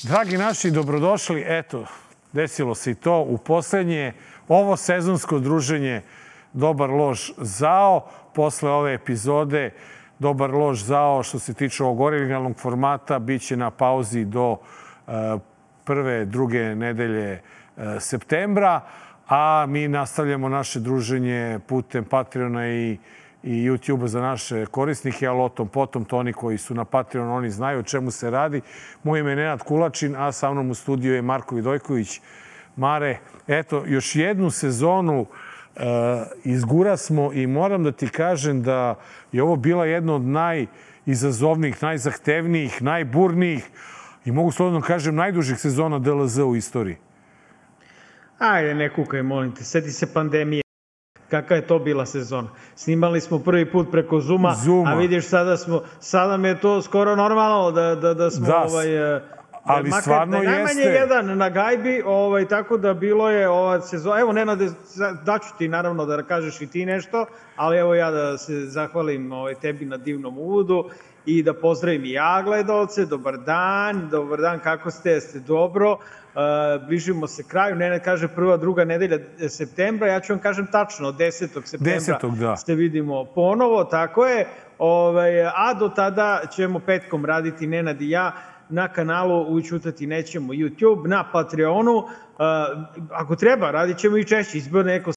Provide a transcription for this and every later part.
Dragi naši, dobrodošli. Eto, desilo se i to u poslednje ovo sezonsko druženje Dobar lož zao. Posle ove epizode Dobar lož zao što se tiče ovog originalnog formata biće na pauzi do prve, druge nedelje septembra, a mi nastavljamo naše druženje putem Patreona i YouTube-a za naše korisnike, ali o tom potom, to oni koji su na Patreonu, oni znaju o čemu se radi. Moje ime je Nenad Kulačin, a sa mnom u studiju je Marko Vidojković. Mare, eto, još jednu sezonu izgurasmo i moram da ti kažem da je ovo bila jedna od najizazovnijih, najzahtevnijih, najburnijih i mogu slobodno kažem najdužih sezona DLZ u istoriji. Ajde, ne kukaj, molim te. Sjeti se pandemije. Kakva je to bila sezona? Snimali smo prvi put preko Zooma. A vidiš, sada mi je to skoro normalno da smo... Ali stvarno jeste. Najmanje jedan na gajbi, tako da bilo je ova sezona. Evo, Nenade, daću ti naravno da kažeš i ti nešto, ali evo ja da se zahvalim tebi na divnom uvodu i da pozdravim i ja gledalce. Dobar dan, kako ste? Jeste dobro? Bližimo se kraju. Nenad kaže prva, druga nedelja septembra. Ja ću vam kažem tačno, 10. septembra se vidimo ponovo, tako je. A do tada ćemo petkom raditi Nenad i ja na kanalu Ućutati nećemo YouTube, na Patreonu. Ako treba, radit ćemo i češće. Izbio neko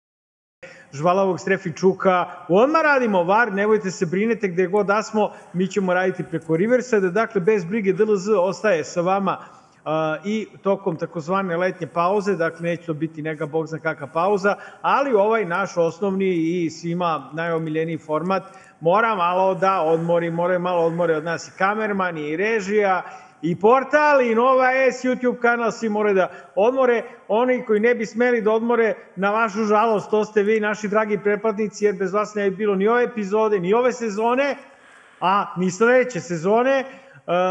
Žvalavog Strefičuka. Odmah radimo VAR, nemojte se brinete gde god da smo, mi ćemo raditi preko Riverside. Dakle, bez brige, DLZ ostaje sa vama i tokom takozvane letnje pauze, dakle neće to biti neka bog zna kakva pauza, ali ovaj naš osnovni i svima najomiljeniji format mora malo da odmori, moraju malo odmore od nas i kamerman i režija i portal i Nova S, YouTube kanal, svi moraju da odmore. Oni koji ne bi smeli da odmore, na vašu žalost, to ste vi, naši dragi pretplatnici, jer bez vas ne bi bilo ni ove epizode, ni ove sezone, a ni sledeće sezone,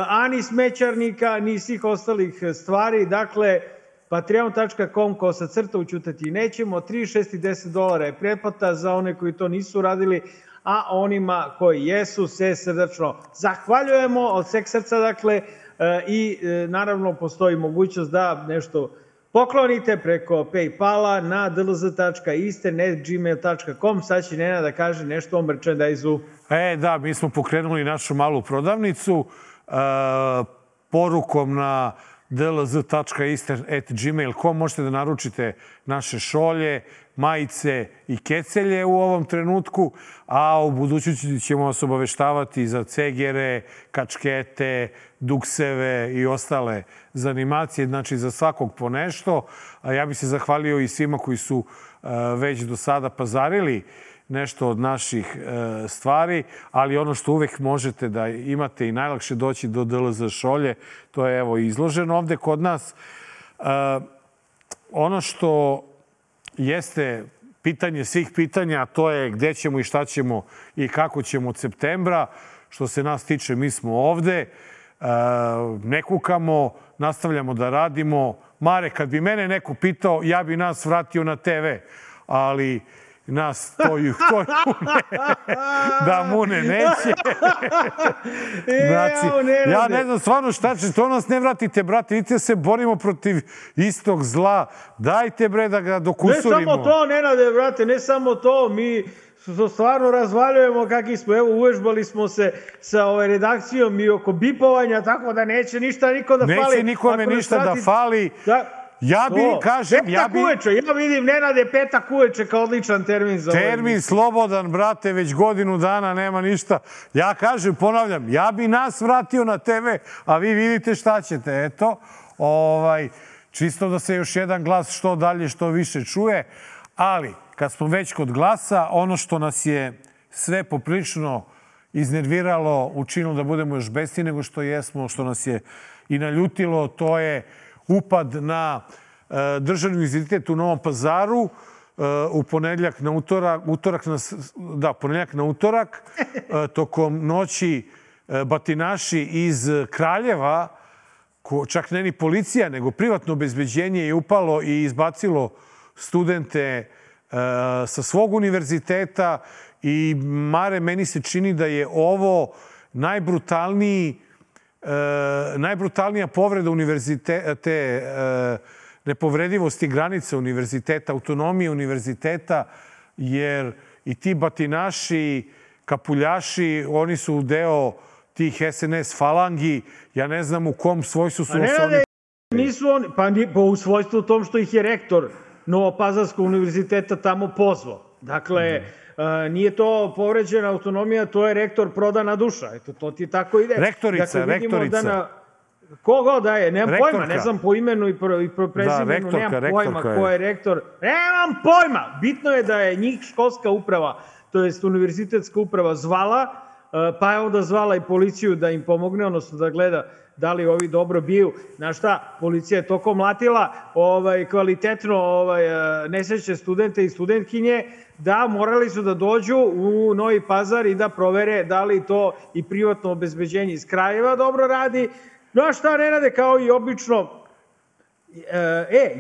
a ni Smećarnika, ni svih ostalih stvari. Dakle, patreon.com/, Ućutati nećemo, 3, 6 i $10 je pretplata za one koji to nisu radili, a onima koji jesu se srdačno zahvaljujemo od sveg srca, dakle, i naravno postoji mogućnost da nešto poklonite preko Paypala na dlz.iste@gmail.com. Sad će Nenad da kaže nešto o merchandise-u. Da, mi smo pokrenuli našu malu prodavnicu porukom na dlz.iste@gmail.com možete da naručite naše šolje, majice i kecelje u ovom trenutku, a u budućnosti ćemo vas obaveštavati za cegere, kačkete, dukseve i ostale zanimacije, znači za svakog po nešto. Ja bih se zahvalio i svima koji su već do sada pazarili nešto od naših stvari, ali ono što uvek možete da imate i najlakše doći do DLZ šolje, to je evo izloženo ovde kod nas. Ono što jeste pitanje svih pitanja, to je gde ćemo i šta ćemo i kako ćemo od septembra. Što se nas tiče, mi smo ovde, ne kukamo, nastavljamo da radimo. Mare, kad bi mene neko pitao, ja bi nas vratio na TV, ali nas to da Mune neće. Znači, ja ne znam stvarno šta će, to nas ne vratite, brate, vidite se borimo protiv istog zla. Dajte, bre, da ga dokusurimo. Ne samo to, Nenade, brate, ne samo to, mi stvarno razvaljujemo kakvi smo. Evo, uvežbali smo se sa redakcijom i oko bipovanja, tako da neće ništa niko da fali. Neće nikome ništa da fali. Ja bi, kažem, petak uveče, ja vidim, Nenade, petak uveče kao odličan termin za termin slobodan, brate, već godinu dana nema ništa. Ja kažem, ponavljam, ja bi nas vratio na TV, a vi vidite šta ćete, eto. Čisto da se još jedan glas što dalje, što više čuje, ali kad smo već kod glasa, ono što nas je sve poprilično iznerviralo, učinilo da budemo još besniji nego što jesmo, što nas je i naljutilo, to je upad na državni univerzitet u Novom Pazaru u ponedeljak na utorak, tokom noći batinaši iz Kraljeva, čak ne ni policija, nego privatno obezbeđenje je upalo i izbacilo studente sa svog univerziteta i, Mare, meni se čini da je ovo najbrutalniji najbrutalnija povreda te nepovredivosti granice univerziteta, autonomije univerziteta, jer i ti batinaši, kapuljaši, oni su deo tih SNS falangi. Ja ne znam u kom svojstvu su oni... Nisu oni, pa u svojstvu tom što ih je rektor Novopazarskog univerziteta tamo pozvao. Dakle, nije to povređena autonomija, to je rektor prodana duša. Eto, to ti tako ide. Rektorica. Kogo da je, nemam pojma, ne znam po imenu i po prezimenu, nemam pojma ko je rektor. Nemam pojma! Bitno je da je njih školska uprava, to jest univerzitetska uprava zvala, pa je onda zvala i policiju da im pomogne, odnosno da gleda da li ovi dobro biju. Znaš šta, policija je toko mlatila kvalitetno nesrećne studente i studentkinje, da morali su da dođu u Novi Pazar i da provere da li to i privatno obezbeđenje iz Kraljeva dobro radi. Znaš šta, Nenade, kao i obično,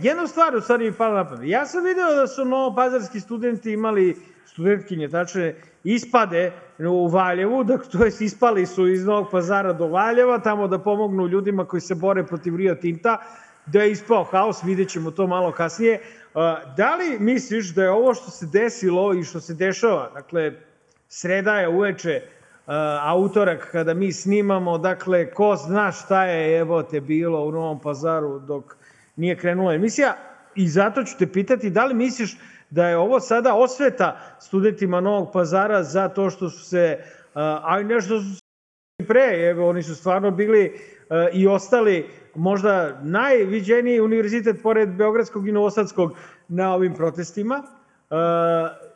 jednu stvar u stvari mi pala na pamet. Ja sam video da su novopazarski studenti imali, studentkinje, tačne, ispade u Valjevu, to jest ispali su iz Novog Pazara do Valjeva, tamo da pomognu ljudima koji se bore protiv Rio Tinta, da je ispao haos, vidjet ćemo to malo kasnije. Da li misliš da je ovo što se desilo i što se dešava, dakle, sreda je uveče, a utorak kada mi snimamo, dakle, ko zna šta je bilo u Novom Pazaru dok nije krenula emisija, i zato ću te pitati da li misliš da je ovo sada osveta studentima Novog Pazara za to što su se, a i nešto su se pre, oni su stvarno bili i ostali možda najviđeniji univerzitet pored Beogradskog i Novosadskog na ovim protestima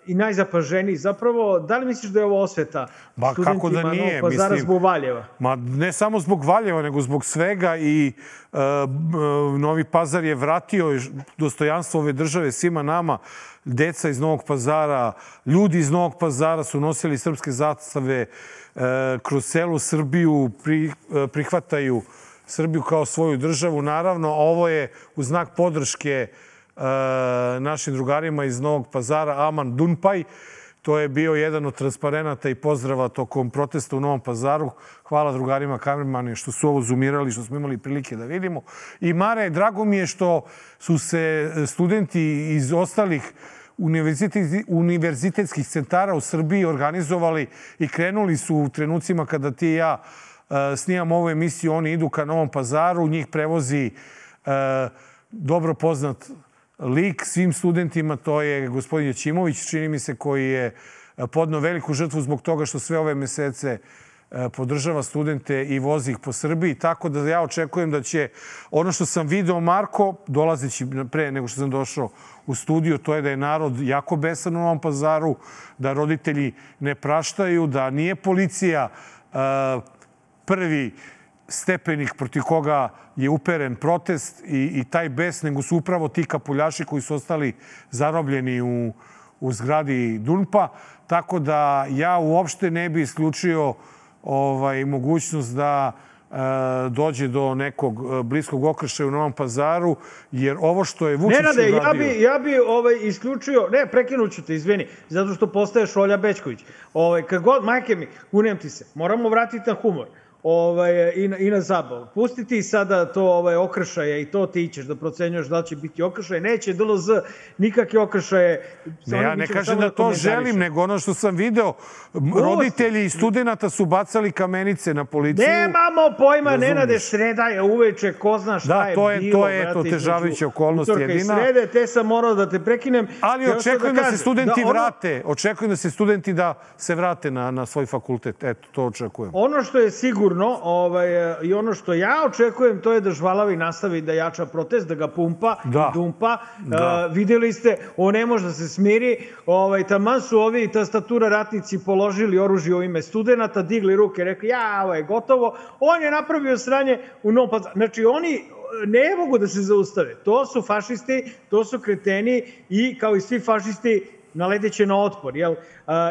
i najzapaženiji zapravo. Da li misliš da je ovo osveta studentima Novog Pazara zbog Valjeva? Ma ne samo zbog Valjeva, nego zbog svega, i Novi Pazar je vratio dostojanstvo ove države svima nama. Deca iz Novog Pazara, ljudi iz Novog Pazara su nosili srpske zastave kroz celu Srbiju, prihvataju Srbiju kao svoju državu. Naravno, ovo je u znak podrške našim drugarima iz Novog Pazara, Aman Dunpaj. To je bio jedan od transparenata i pozdrava tokom protesta u Novom Pazaru. Hvala drugarima kamermani što su ovo zoomirali, što smo imali prilike da vidimo. I Mare, drago mi je što su se studenti iz ostalih univerzitetskih centara u Srbiji organizovali i krenuli su u trenucima kada ti i ja snimam ovu emisiju. Oni idu ka Novom Pazaru, njih prevozi dobro poznat lik svim studentima, to je gospodin Jećimović, čini mi se, koji je podneo veliku žrtvu zbog toga što sve ove mesece podržava studente i vozi ih po Srbiji. Tako da ja očekujem da će ono što sam video, Marko, dolazeći pre nego što sam došao u studiju, to je da je narod jako besan u Novom Pazaru, da roditelji ne praštaju, da nije policija prvi stepenik protiv koga je uperen protest i taj bes, nego su upravo ti kapuljaši koji su ostali zarobljeni u zgradi Dunpa. Tako da ja uopšte ne bi isključio mogućnost da dođe do nekog bliskog okršaja u Novom Pazaru, jer ovo što je Vučić uradio... Nenade, ja bi isključio... Ne, prekinuću te, izvini, zato što postaješ Olja Bećković. Kad god, majke mi, kunem ti se, moramo vratiti na humor. I na zabavu. Pusti ti sada to okršaje i to ti ćeš da procenjuješ da će biti okršaje. Neće DLZ nikakve okršaje. Ne, ja ne kažem da to želim, nego ono što sam video. Roditelji i studenta su bacali kamenice na policiju. Nemamo pojma, Nenade, sreda je uveče, ko zna šta je bilo. To je težavajuća okolnost jedina. Srede, te sam morao da te prekinem. Ali očekujem da se studenti vrate. Očekujem da se studenti da se vrate na svoj fakultet. Eto, to očekujem. Ono što je sigurno i ono što ja očekujem, to je da Žvalavi nastavi da jača protest, da ga pumpa i dumpa. Videli ste, on ne može da se smiri. Taman su ovi tastatura ratnici položili oružje u ime studenta, digli ruke, rekli, ovo je gotovo. On je napravio sranje u Novom Pazaru. Znači, oni ne mogu da se zaustave. To su fašisti, to su kreteni i kao i svi fašisti naledeće na otpor, jel?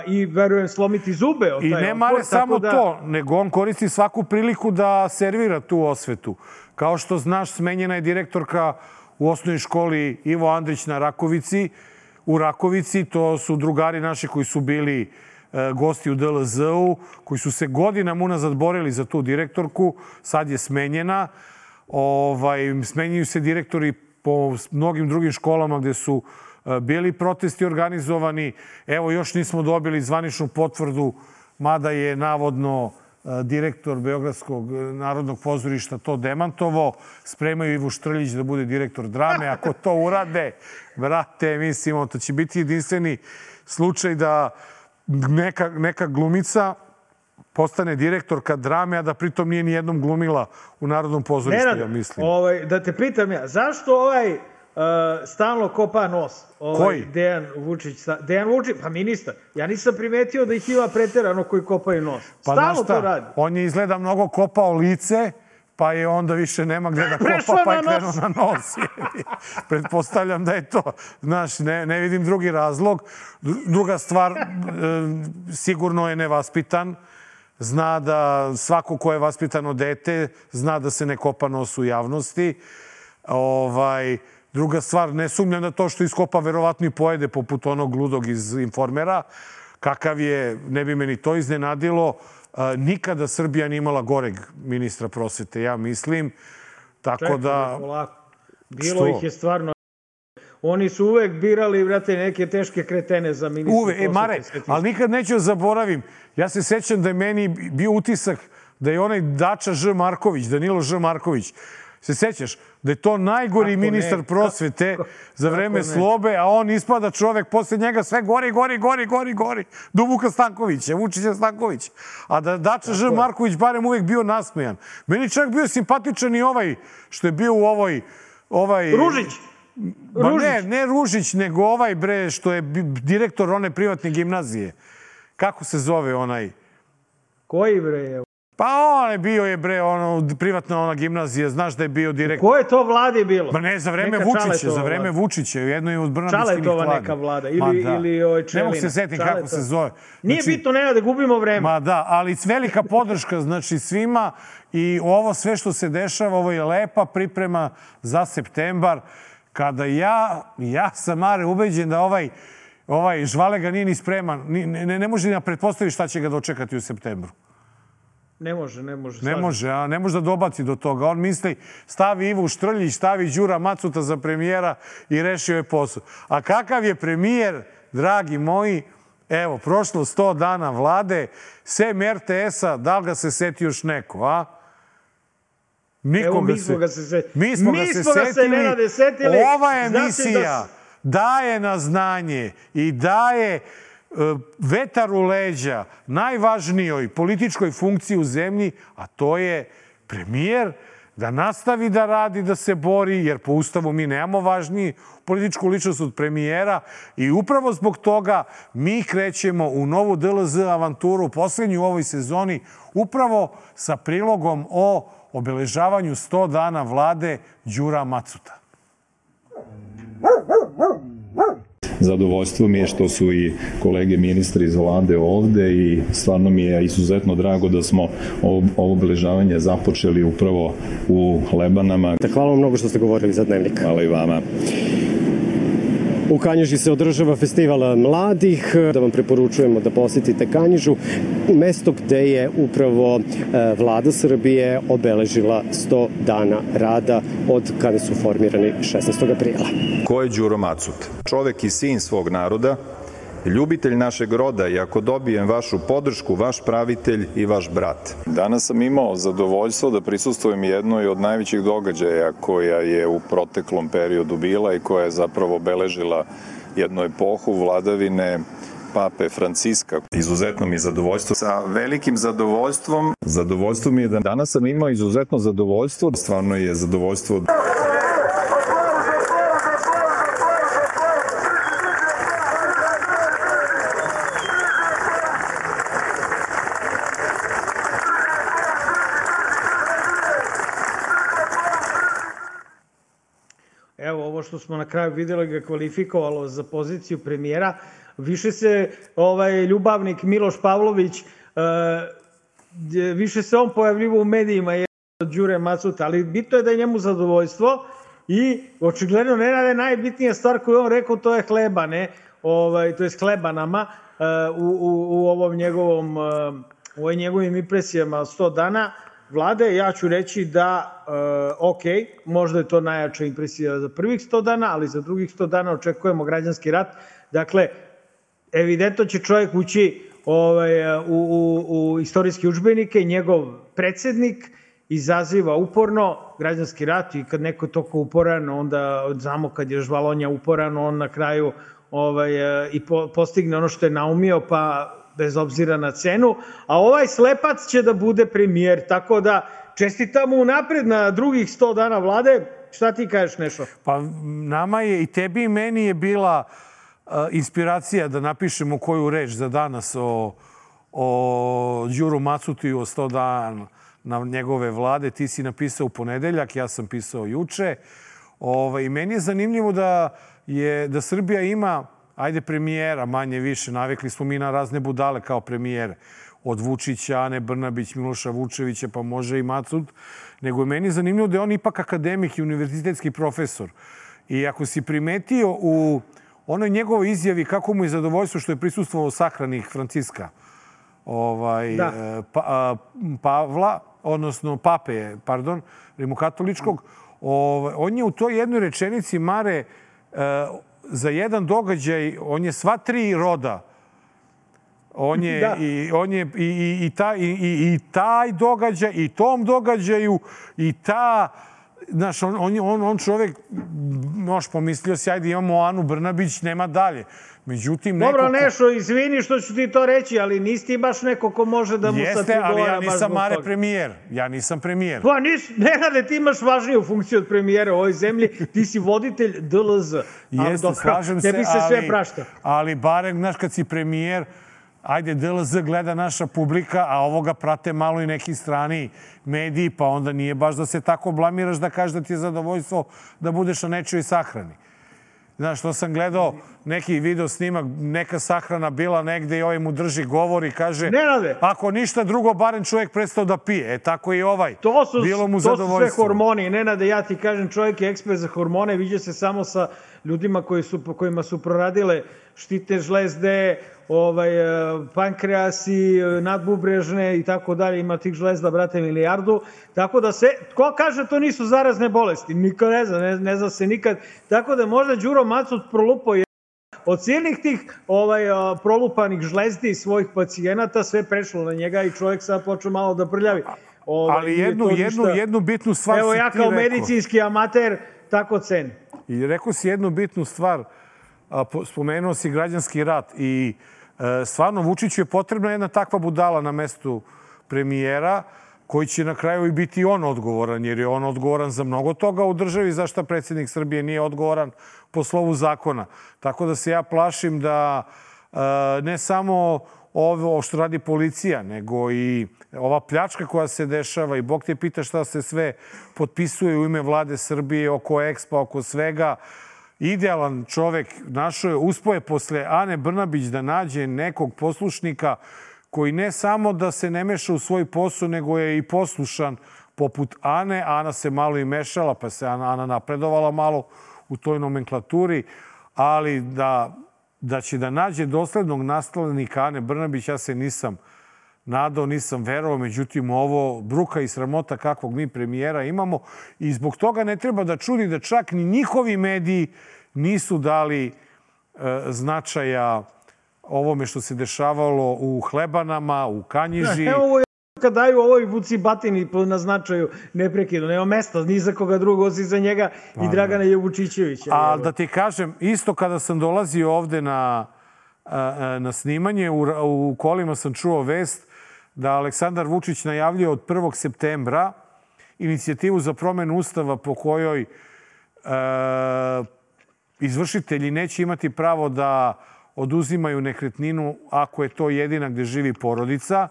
I verujem slomiti zube od taj otpor. I ne mare samo to, nego on koristi svaku priliku da servira tu osvetu. Kao što znaš, smenjena je direktorka u osnovnoj školi Ivo Andrić na Rakovici. U Rakovici, to su drugari naši koji su bili gosti u DLZ-u, koji su se godinama unazad borili za tu direktorku, sad je smenjena. Smenjuju se direktori po mnogim drugim školama gde su bili protesti organizovani. Evo, još nismo dobili zvaničnu potvrdu, mada je navodno direktor Beogradskog narodnog pozorišta to demantovao. Spremaju Ivu Štrljić da bude direktor drame. Ako to urade, brate, mislimo, to će biti jedinstveni slučaj da neka glumica postane direktorka drame, a da pritom nije ni jednom glumila u Narodnom pozorištu, ja mislim. Da te pitam ja, zašto stalno kopa nos? Koji? Dejan Vučić. Dejan Vučić, pa ministar. Ja nisam primetio da ih ima preterano koji kopaju nos. Stalno to radi. On je izgleda mnogo kopao lice, pa je onda više nema gde da kopa, pa je krenuo na nos. Pretpostavljam da je to. Znaš, ne vidim drugi razlog. Druga stvar, sigurno je nevaspitan. Zna da svako ko je vaspitano dete, zna da se ne kopa nos u javnosti. Druga stvar, ne sumnjam da to što iskopa verovatno i pojede poput onog ludog iz Informera. Kakav je, ne bi meni to iznenadilo. Nikada Srbija nije imala goreg ministra prosvete, ja mislim. Tako da... Bilo ih je stvarno... Oni su uvek birali, brate, neke teške kretene za ministra prosvete. Mare, ali nikad neću zaboravim. Ja se sećam da je meni bio utisak da je onaj Dača Ž. Marković, Danilo Ž. Marković, se sećaš da je to najgori ministar prosvete za vreme Slobe, a on ispada čovek posle njega sve gori. Do Vuka Stankovića, Vučića Stankovića. A da Dača Ž. Marković barem uvek bio nasmejan. Meni čak bio simpatičan i ovaj što je bio u ovoj... Ružić! Ne Ružić, nego ovaj bre što je direktor one privatne gimnazije. Kako se zove onaj? Koji bre je? Pa on je bio privatna ona gimnazija, znaš da je bio direktor. Koje to vlade bilo? Ma ne, za vreme Vučića, jedno je od Brnabićkinih vlada. Čaletova neka vlada, ili Čelina. Ne mogu se setiti kako se zove. Nije bitno, ne da gubimo vreme. Ma da, ali velika podrška, znači svima i ovo sve što se dešava, ovo je lepa priprema za septembar, kada ja sam, Mare, ubeđen da ovaj Žvalega nije ni spreman, ne može da pretpostavi šta će ga dočekati u septembru. Ne može. Ne može da dobaci do toga. On misli, stavi Ivu Štrljić, stavi Đura Macuta za premijera i rešio je posao. A kakav je premijer, dragi moji, evo, prošlo 100 dana vlade, sem RTS-a, da li ga se seti još neko, a? Evo, mi smo ga se setili. Ova emisija daje na znanje i daje vetar u leđa najvažnijoj političkoj funkciji u zemlji, a to je premijer, da nastavi da radi, da se bori, jer po Ustavu mi nemamo važniji političku ličnost od premijera i upravo zbog toga mi krećemo u novu DLZ avanturu, poslednju u ovoj sezoni, upravo sa prilogom o obeležavanju 100 dana vlade Đura Macuta. Zadovoljstvo mi je što su i kolege ministri iz Vlade ovde i stvarno mi je izuzetno drago da smo ovo obeležavanje započeli upravo u Lebanama. Hvala vam mnogo što ste govorili za Dnevnik. Hvala i vama. U Kanjiži se održava festival mladih, da vam preporučujemo da posetite Kanjižu, mesto gde je upravo Vlada Srbije obeležila 100 dana rada od kada su formirani 16. aprila. Ko je Đuro Macut? Čovek i sin svog naroda, ljubitelj našeg roda i ako dobijem vašu podršku, vaš pravitelj i vaš brat. Danas sam imao zadovoljstvo da prisustvujem jednoj od najvećih događaja koja je u proteklom periodu bila i koja je zapravo obeležila jednu epohu vladavine Pape Franciska. Izuzetno mi je zadovoljstvo. Sa velikim zadovoljstvom. Zadovoljstvo mi je da danas sam imao izuzetno zadovoljstvo. Stvarno je zadovoljstvo. Evo, ovo što smo na kraju videli ga kvalifikovalo za poziciju premijera. Više se ljubavnik Miloš Pavlović, više se on pojavljivo u medijima od Đure Macuta, ali bitno je da je njemu zadovoljstvo i očigledno Nenade najbitnija stvar koju on rekao, to je hleba, ne? to je Hlebanama, u ovom njegovom, u njegovim impresijama 100 dana vlade, ja ću reći da, ok, možda je to najjača impresija za prvih 100 dana, ali za drugih 100 dana očekujemo građanski rat. Dakle, evidentno će čovjek ući u istorijske udžbenike, njegov predsednik izaziva uporno građanski rat i kad neko je toliko uporan, onda znamo kad je Žvalonja uporan, on na kraju i postigne ono što je naumio, pa bez obzira na cenu, a ovaj slepac će da bude premijer, tako da čestitamo unapred na drugih 100 dana vlade. Šta ti kažeš, Nešo? Pa nama je, i tebi i meni je bila inspiracija da napišemo koju reč za danas o Đuru Macutiju, o 100 dana na njegove vlade. Ti si napisao u ponedeljak, ja sam pisao juče. I meni je zanimljivo da Srbija ima, ajde, premijera, manje više. Navikli smo mi na razne budale kao premijere. Od Vučića, Ane Brnabić, Miloša Vučevića, pa može i Macut. Nego je meni zanimljivo da je on ipak akademik i univerzitetski profesor. I ako si primetio u onoj njegovoj izjavi kako mu je zadovoljstvo što je prisustvovao sahrani Franciska, Pavla, odnosno Pape, pardon, rimokatoličkog, on je u toj jednoj rečenici, Mare, za jedan događaj, on je sva tri roda. On je i taj događaj, i tom događaju, i ta... Znaš, on čovjek, možeš pomislio si, ajde imamo Anu Brnabić, nema dalje. Međutim, dobro, Nešo, izvini što ću ti to reći, ali nisi ti baš neko ko može da mu sad odgovara. Jeste, ali ja nisam Mare premijer. Ja nisam premijer. Pa Nenade, ti imaš važniju funkciju od premijera u ovoj zemlji. Ti si voditelj DLZ. Jeste, slažem se, tebi se sve prašta. Ali barem, znaš, kad si premijer, ajde, DLZ gleda naša publika, a ovoga prate malo i neki strani mediji, pa onda nije baš da se tako blamiraš da kažeš da ti je zadovoljstvo da budeš na nečoj sahrani. Znaš, to sam gledao neki video snimak, neka sahrana bila negde i ovaj mu drži govor i kaže, ako ništa drugo, barem čovjek prestao da pije. Tako i ovaj. Bilo mu zadovoljstvo. To su sve hormoni. Nenade, ja ti kažem, čovjek je ekspert za hormone, viđa se samo sa ljudima kojima su proradile štitne žlezde, pankreasi, nadbubrežne i tako dalje. Ima tih žlezda, brate, milijardu. Tako da ko kaže to nisu zarazne bolesti? Niko ne zna, ne zna se nikad. Tako da možda Đuro Macut prolupao od silnih tih prolupanih žlezdi svojih pacijenata, sve prešlo na njega i čovjek sad počeo malo da prljavi. Ali jednu bitnu stvar si ti rekao. Evo ja kao medicinski amater tako cenim. I rekao si jednu bitnu stvar, spomenuo si građanski rat i stvarno Vučiću je potrebna jedna takva budala na mestu premijera koji će na kraju i biti on odgovoran, jer je on odgovoran za mnogo toga u državi, za šta predsjednik Srbije nije odgovoran po slovu zakona. Tako da se ja plašim da ne samo ovo što radi policija, nego i ova pljačka koja se dešava i Bog te pita šta se sve potpisuje u ime vlade Srbije oko Expo, oko svega. Idealan čovek našao je, uspeo je posle Ane Brnabić da nađe nekog poslušnika koji ne samo da se ne meša u svoj posao, nego je i poslušan poput Ane. Ana se malo i mešala, pa se Ana napredovala malo u toj nomenklaturi, ali da će da nađe doslednog naslednika Ane Brnabić, ja se nisam nadao, nisam verovao. Međutim, ovo bruka i sramota kakvog mi premijera imamo i zbog toga ne treba da čudi da čak ni njihovi mediji nisu dali značaja ovome što se dešavalo u Hlebanama, u Kanjiži. Evo kad daju ovoj Vuci Batini na značaju neprekidno. Nema mesta ni za koga drugog osim za njega i Dragana Jevučićevića. A da ti kažem, isto kada sam dolazio ovde na snimanje, u kolima sam čuo vest da Aleksandar Vučić najavljuje od 1. septembra inicijativu za promenu Ustava po kojoj izvršitelji neće imati pravo da oduzimaju nekretninu ako je to jedina gde živi porodica.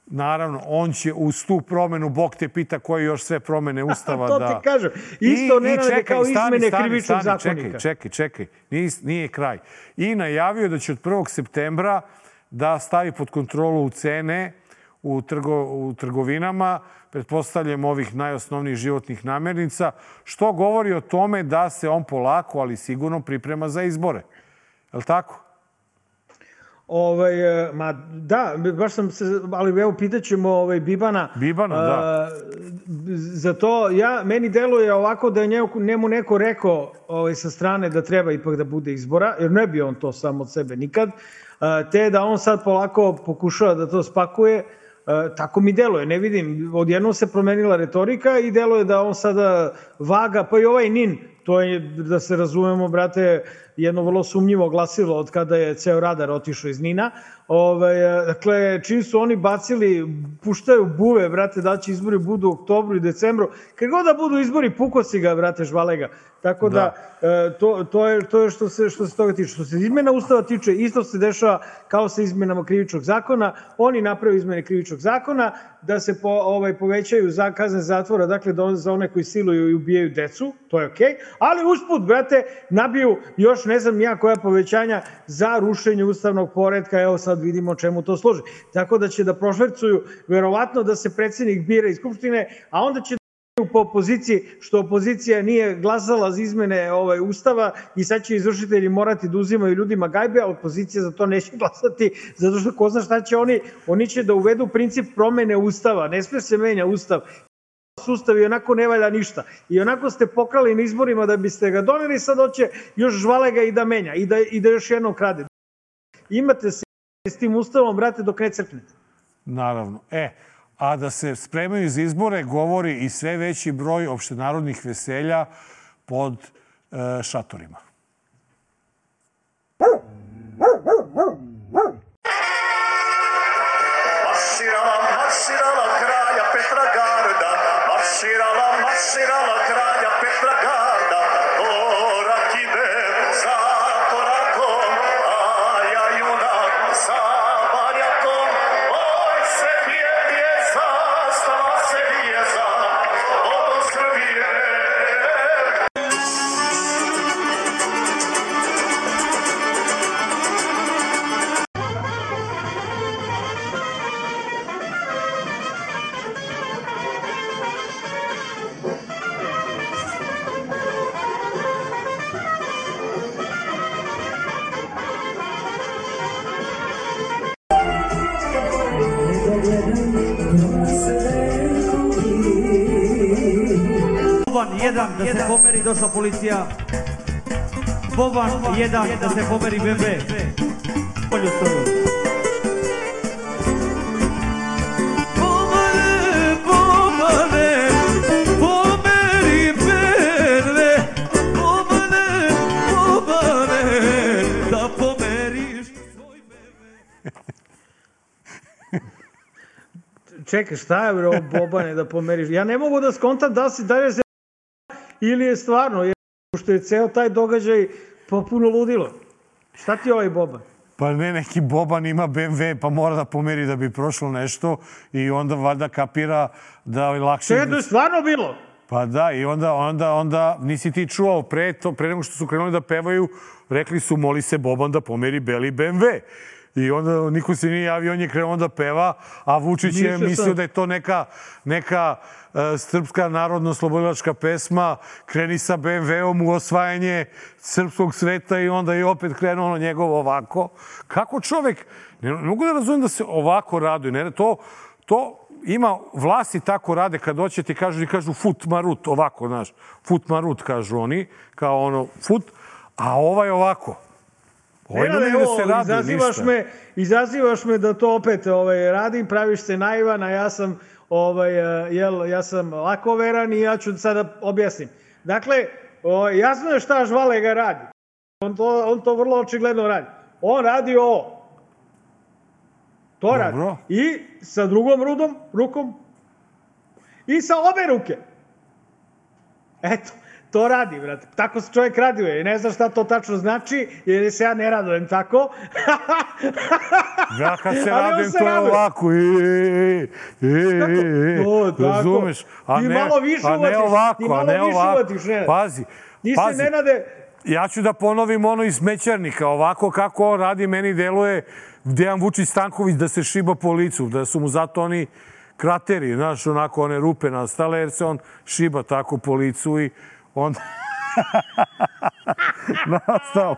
Naravno, on će uz tu promenu, Bog te pita koje još sve promene Ustava da... To ti kažem. Isto ne rade kao izmene krivičnog zakonika. Čekaj. Nije kraj. I najavio da će od 1. septembra da stavi pod kontrolu cene u trgovinama, pretpostavljam ovih najosnovnijih životnih namirnica, što govori o tome da se on polako, ali sigurno priprema za izbore. Je li tako? Ma da, baš sam se, ali evo pitaćemo Bibana. Bibana, da. Za to, meni deluje ovako da je njemu neko rekao sa strane da treba ipak da bude izbora, jer ne bi on to sam od sebe nikad, te da on sad polako pokušava da to spakuje. Tako mi deluje, ne vidim, odjednom se promenila retorika i deluje da on sada vaga, pa i ovaj NIN, to je, da se razumemo, brate, jedno vrlo sumnjivo glasilo od kada je ceo radar otišao iz NIN-a. Dakle, čim su oni bacili, puštaju buve, brate, da će izbori budu u oktobru i decembru, kad god da budu izbori, puko si ga, brate, žvalega. Tako da, to je što se toga tiče. Što se izmena Ustava tiče, isto se dešava kao sa izmenama krivičnog zakona. Oni naprave izmene krivičnog zakona, da se povećaju kazne zatvora, dakle, za one koji siluju i ubijaju decu, to je okej, ali usput, brate, nabiju još ne znam ja koja povećanja za rušenje ustavnog poretka, evo sad vidimo čemu to služi. Tako da će da prošvercuju, verovatno da se predsjednik bira iz Skupštine, a onda će po opoziciji, što opozicija nije glasala za izmene Ustava i sad će izvršitelji morati da uzimaju ljudima gajbe, a opozicija za to neće glasati, zato što ko zna šta će oni će da uvedu princip promene Ustava, ne sme se menja Ustav. Ustav i onako ne valja ništa. I onako ste pokrali na izborima da biste ga doneli, sad hoće još žvalega i da menja i da još jednom krade. Imate se s tim Ustavom, brate, dok ne crknete. Naravno. A da se spremaju za izbore govori i sve veći broj opštenarodnih veselja pod šatorima. Marširala kralja Petragarda, marširala kralja Petragarda, korak ide za korakom, a ja junak za barjakom, oj se vije zastava se vijeza, ovo Srbije. Boban 1 da se pomeri, došla policija. Boban 1 da se pomeri BB. Polju stoju. Bobane, pomeri BB. Bobane, da pomeriš svoj BB. Čekaj, šta je ovo Bobane da pomeriš? Ja ne mogu da skontam da je se ili je stvarno, što je ceo taj događaj popuno ludilo. Šta ti je ovaj Boban? Pa ne, neki Boban ima BMW, pa mora da pomeri da bi prošlo nešto i onda valjda kapira da je lakše... To je stvarno bilo? Pa da, i onda nisi ti čuo pre nego što su krenuli da pevaju, rekli su moli se Boban da pomeri beli BMW. I onda niko se nije javio, on je krenuo da peva, a Vučić je mislio da je to neka srpska narodno-slobodilačka pesma, kreni sa BMW-om u osvajanje srpskog sveta i onda je opet krenuo njegovo ovako. Kako čovek, ne mogu da razumijem da se ovako raduje, to ima, vlasti tako rade kad doće ti kažu fut marut, ovako, znaš, fut marut kažu oni, kao ono fut, a ovaj ovako. Izazivaš me da to opet radim, praviš se naivan, a ja sam lakoveran i ja ću sada objasnim. Dakle, jasno je šta Žvalega radi. On to vrlo očigledno radi. On radi ovo. To radi. I sa drugom rukom i sa obe ruke. Eto. To radi, brate. Tako se čovjek raduje. Ne znam šta to tačno znači, jer se ja ne radujem tako. Ja kad se radujem, to je ovako. Razumeš? Ti malo više uvatiš. Pazi. Ja ću da ponovim ono iz Mećarnika. Ovako kako on radi, meni deluje Dejan Vučić Stanković da se šiba po licu. Da su mu zato oni krateri, znaš, onako one rupe nastale, jer se on šiba tako po licu i onda... Nastao.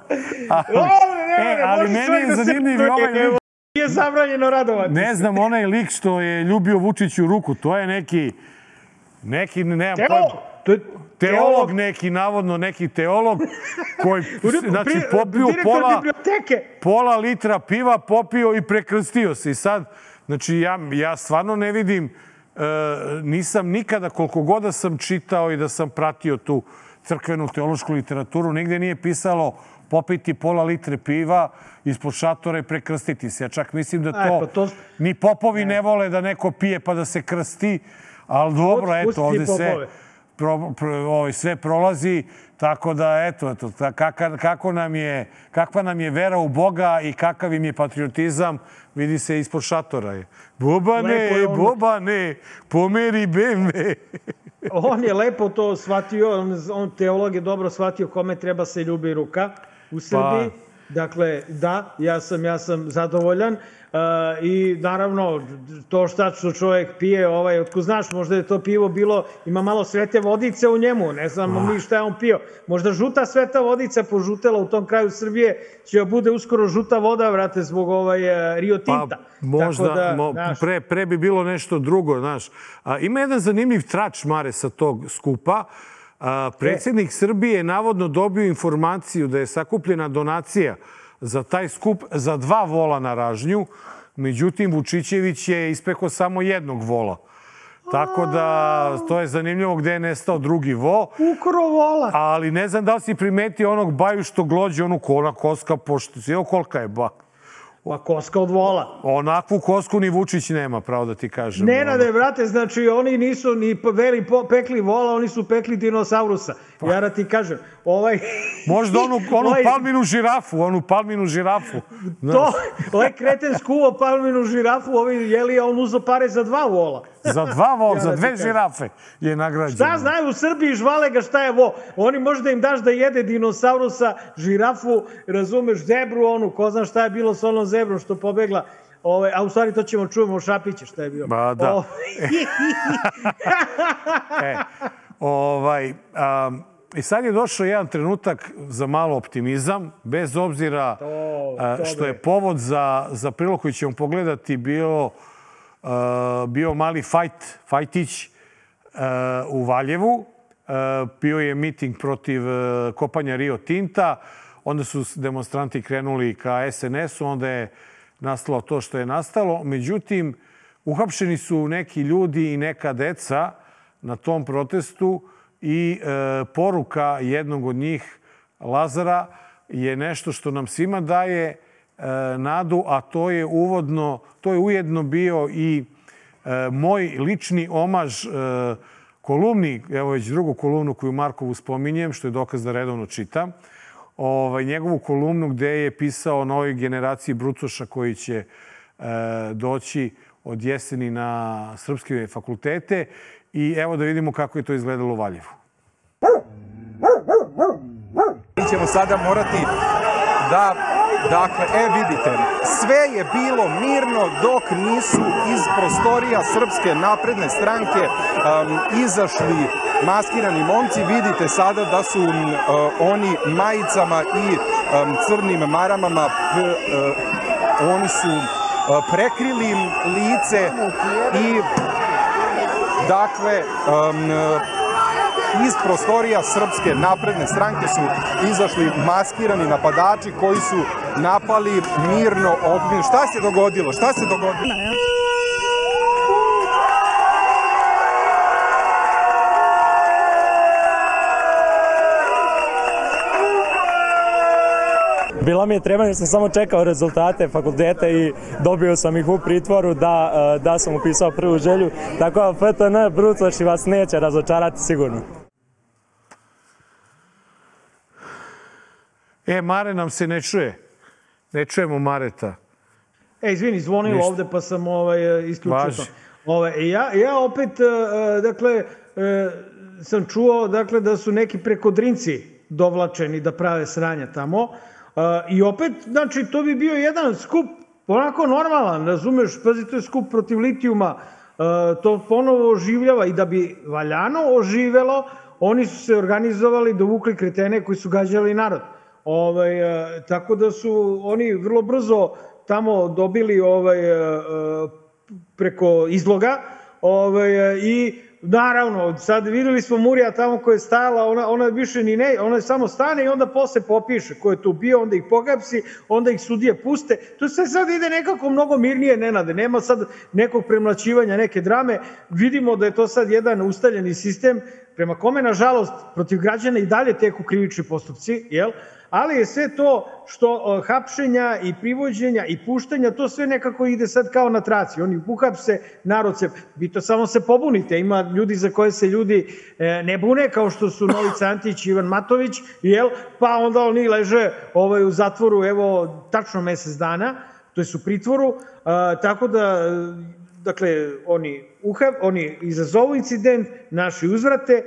ali meni je zanimljiv ovaj lik. Nije zabranjeno radovati. Ne znam, onaj lik što je ljubio Vučiću ruku, to je neki nemam pojma. Teolog neki, navodno neki teolog, koji, znači, popio pola litra piva, popio i prekrstio se. I sad, znači, ja stvarno ne vidim, nisam nikada, koliko god da sam čitao i da sam pratio tu crkvenu teološku literaturu, nigde nije pisalo popiti pola litre piva ispod šatora i prekrstiti se. Ja čak mislim da to ni popovi ne vole da neko pije pa da se krsti, ali dobro, eto, ovde sve prolazi, tako da, eto, kakva nam je vera u Boga i kakav im je patriotizam, vidi se ispod šatora. Bobane, pomeri BMW. On je lepo to shvatio, on teolog je dobro shvatio kome treba se ljubi ruka u Srbiji. Dakle, da, ja sam zadovoljan. I naravno, to što čovjek pije, otko znaš, možda je to pivo bilo, ima malo svete vodice u njemu, ne znamo mi šta je on pio. Možda žuta sveta vodica požutela u tom kraju Srbije, će bude uskoro žuta voda, vrate, zbog Rio Tinta. Možda, pre bi bilo nešto drugo, znaš. Ima jedan zanimljiv trač, Mare, sa tog skupa. Predsjednik Srbije je navodno dobio informaciju da je sakupljena donacija za taj skup za 2 vola na Ražnju. Međutim, Vučićević je ispekao samo jednog vola. Tako da, to je zanimljivo gde je nestao drugi vo. Ukro vola. Ali ne znam da li si primetio onog baju što glođe, onu koska pošto. Evo kolika je ba. Koska od vola. Onakvu kosku ni Vučić nema, pravo da ti kažem. Nenade, brate, znači oni nisu ni pekli vola, oni su pekli dinosaurusa. Ja da ti kažem, možda onu palminu žirafu. To, kreten skuo palminu žirafu, jeli, on uzo pare za 2 vola. Za 2 vola, za 2 žirafe je nagrađeno. Šta znaju u Srbiji, žvale ga šta je vo. Oni možda im daš da jede dinosaurusa, žirafu, razumeš, zebru onu, ko zna šta je bilo s onom zebrom što pobegla. A u stvari to ćemo čujemo Šapiće šta je bilo. Ba da. I sad je došao jedan trenutak za malo optimizam, bez obzira što je povod za prilog koji ćemo pogledati bio mali fajtić u Valjevu. Bio je miting protiv kopanja Rio Tinta. Onda su demonstranti krenuli ka SNS-u. Onda je nastalo to što je nastalo. Međutim, uhapšeni su neki ljudi i neka deca na tom protestu i poruka jednog od njih, Lazara, je nešto što nam svima daje nadu, a to je ujedno bio i moj lični omaž kolumni, evo već drugu kolumnu koju Markovu spominjem, što je dokaz da redovno čitam, njegovu kolumnu gde je pisao o novoj generaciji brucoša koji će doći od jeseni na srpske fakultete i evo da vidimo kako je to izgledalo u Valjevu. Mi ćemo sada morati da, vidite, sve je bilo mirno dok nisu iz prostorija Srpske napredne stranke izašli maskirani momci. Vidite sada da su oni majicama i crnim maramama, oni su prekrili lice i dakle, iz prostorija Srpske napredne stranke su izašli maskirani napadači koji su napali mirno okupljene. Šta se dogodilo? Bila mi je treba jer sam samo čekao rezultate fakulteta i dobio sam ih u pritvoru da sam upisao prvu želju. Tako da FTN brucoši vas neće razočarati sigurno. Mare nam se ne čuje. Ne čujemo Mareta. Izvini, zvonilo ovde pa sam isključio to. Ja opet, dakle, sam čuo da su neki prekodrinci dovlačeni da prave sranja tamo. I opet, znači, to bi bio jedan skup onako normalan, razumeš, pazi, to je skup protiv litijuma, to ponovo oživljava i da bi valjano oživelo, oni su se organizovali, dovukli kretene koji su gađali narod. Tako da su oni vrlo brzo tamo dobili preko izloga i naravno, sad videli smo Murija tamo koja je stajala, ona više ni ne, ona samo stane i onda posle popiše ko je tu bio, onda ih pohapsi, onda ih sudije puste. To se sad ide nekako mnogo mirnije, Nenade, nema sad nekog premlaćivanja, neke drame. Vidimo da je to sad jedan ustaljeni sistem prema kome, nažalost, protiv građana i dalje teku krivični postupci, jel? Ali je sve to što hapšenja i privođenja i puštanja, to sve nekako ide sad kao na traci. Oni uhapse, narod se, vi to samo se pobunite. Ima ljudi za koje se ljudi ne bune, kao što su Novica Antić i Ivan Matović, jel? Pa onda oni leže u zatvoru, evo, tačno mesec dana, to je u pritvoru, tako da, dakle, oni izazovu incident, naši uzvrate,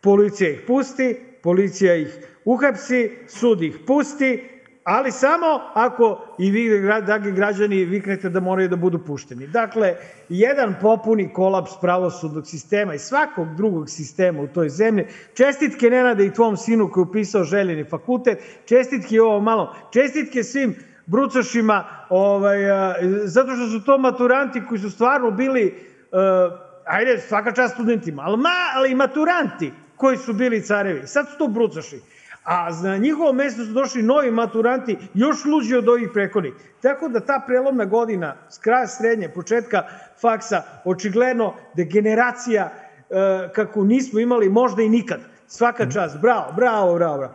policija ih pusti, policija ih uhapsi, sud ih pusti, ali samo ako i vi, dragi građani, viknete da moraju da budu pušteni. Dakle, jedan popuni kolaps pravosudnog sistema i svakog drugog sistema u toj zemlji. Čestitke, Nenade, i tvom sinu koji je upisao željeni fakultet, čestitke i ovo malo, čestitke svim brucošima, zato što su to maturanti koji su stvarno bili, ajde, svaka čast studentima, ali i maturanti koji su bili carevi. Sad su to brucoši. A na njihovo mesto su došli novi maturanti, još luđi od ovih prethodnih. Tako da ta prelomna godina, s kraja srednje, početka faksa, očigledno degeneracija kako nismo imali možda i nikad. Svaka čast. Bravo, bravo, bravo.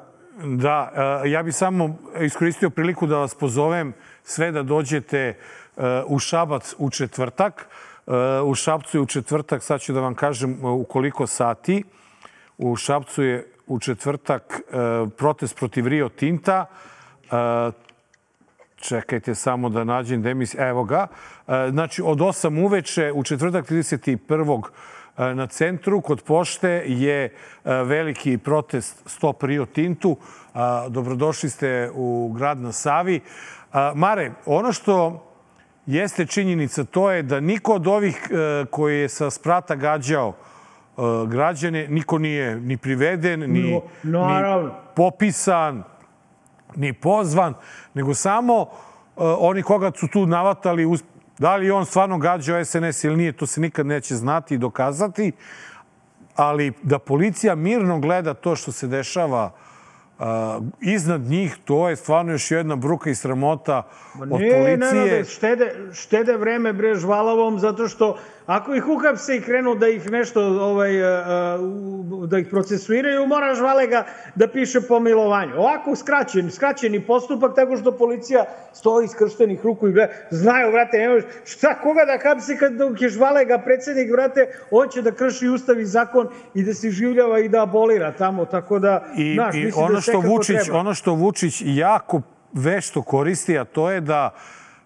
Da, ja bih samo iskoristio priliku da vas pozovem sve da dođete u Šabac u četvrtak. U Šapcu je u četvrtak, sad ću da vam kažem u koliko sati. U Šapcu je u četvrtak protest protiv Rio Tinta. Čekajte samo da nađem demis. Evo ga. Znači, od 8 uveče u četvrtak 31. na centru kod pošte je veliki protest Stop Rio Tintu. Dobrodošli ste u grad na Savi. Mare, ono što jeste činjenica, to je da niko od ovih koji je sa sprata gađao građane, niko nije ni priveden, ni popisan, ni pozvan, nego samo oni koga su tu navatali, da li on stvarno gađao SNS ili nije, to se nikad neće znati i dokazati, ali da policija mirno gleda to što se dešava iznad njih, to je stvarno još jedna bruka i sramota od policije. Ne, štede vreme bre žvalavom, zato što ako ih uhapse i krenu da ih nešto, da ih procesuiraju, mora žvalega da piše pomilovanje. Ovako skraćeni postupak, tako što policija stoji skrštenih ruku i gleda. Znaju, vrate, nemaš šta, koga da hapsi kad je žvalega predsednik, vrate, on će da krši ustav i zakon i da se življava i da abolira tamo, tako da, znaš, mislim da sve kako treba. Ono što Vučić jako vešto koristi, a to je da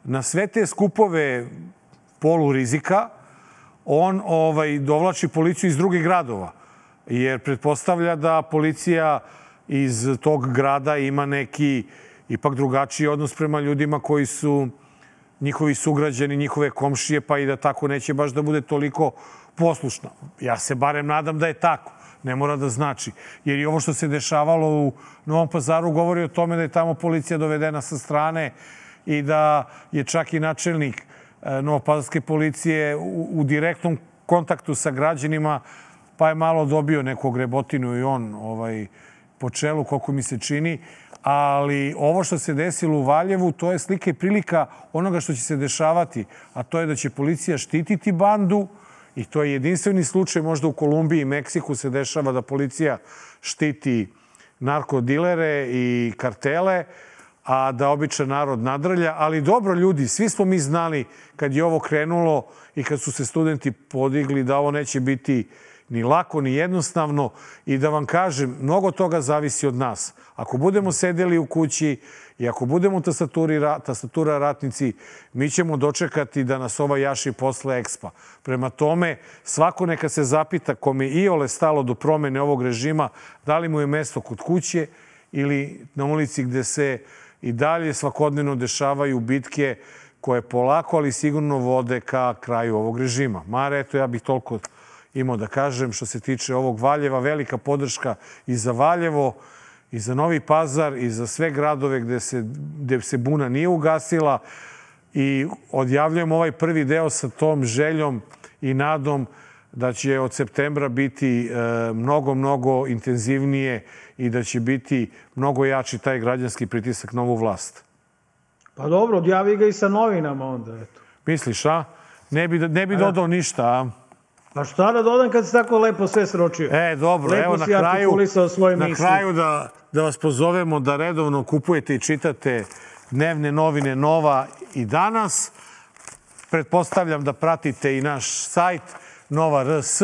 na sve te skupove polurizika on dovlači policiju iz drugih gradova. Jer pretpostavlja da policija iz tog grada ima neki ipak drugačiji odnos prema ljudima koji su njihovi sugrađani, njihove komšije, pa i da tako neće baš da bude toliko poslušna. Ja se barem nadam da je tako. Ne mora da znači. Jer i ovo što se dešavalo u Novom Pazaru govori o tome da je tamo policija dovedena sa strane i da je čak i načelnik novopazarske policije u direktnom kontaktu sa građanima, pa je malo dobio neku grebotinu i on po čelu, koliko mi se čini. Ali ovo što se desilo u Valjevu, to je slika i prilika onoga što će se dešavati, a to je da će policija štititi bandu i to je jedinstveni slučaj. Možda u Kolumbiji i Meksiku se dešava da policija štiti narkodilere i kartele, a da običan narod nadrlja. Ali dobro, ljudi, svi smo mi znali kad je ovo krenulo i kad su se studenti podigli da ovo neće biti ni lako, ni jednostavno. I da vam kažem, mnogo toga zavisi od nas. Ako budemo sedeli u kući i ako budemo tastatura ratnici, mi ćemo dočekati da nas ova jaši posle ekspa. Prema tome, svako neka se zapita kome iole stalo do promene ovog režima, da li mu je mesto kod kuće ili na ulici gde se i dalje svakodnevno dešavaju bitke koje polako, ali sigurno vode ka kraju ovog režima. Mare, eto, ja bih toliko imao da kažem što se tiče ovog Valjeva. Velika podrška i za Valjevo i za Novi Pazar i za sve gradove gde se buna nije ugasila. I odjavljujemo ovaj prvi deo sa tom željom i nadom da će od septembra biti mnogo intenzivnije i da će biti mnogo jači taj građanski pritisak na ovu vlast. Pa dobro, odjavi ga i sa novinama onda, eto. Misliš, a? Ne bi dodao ništa, a? Pa šta da dodam kad si tako lepo sve sročio? Dobro, lepo evo na kraju da vas pozovemo da redovno kupujete i čitate dnevne novine Nova i Danas. Pretpostavljam da pratite i naš sajt Nova RS,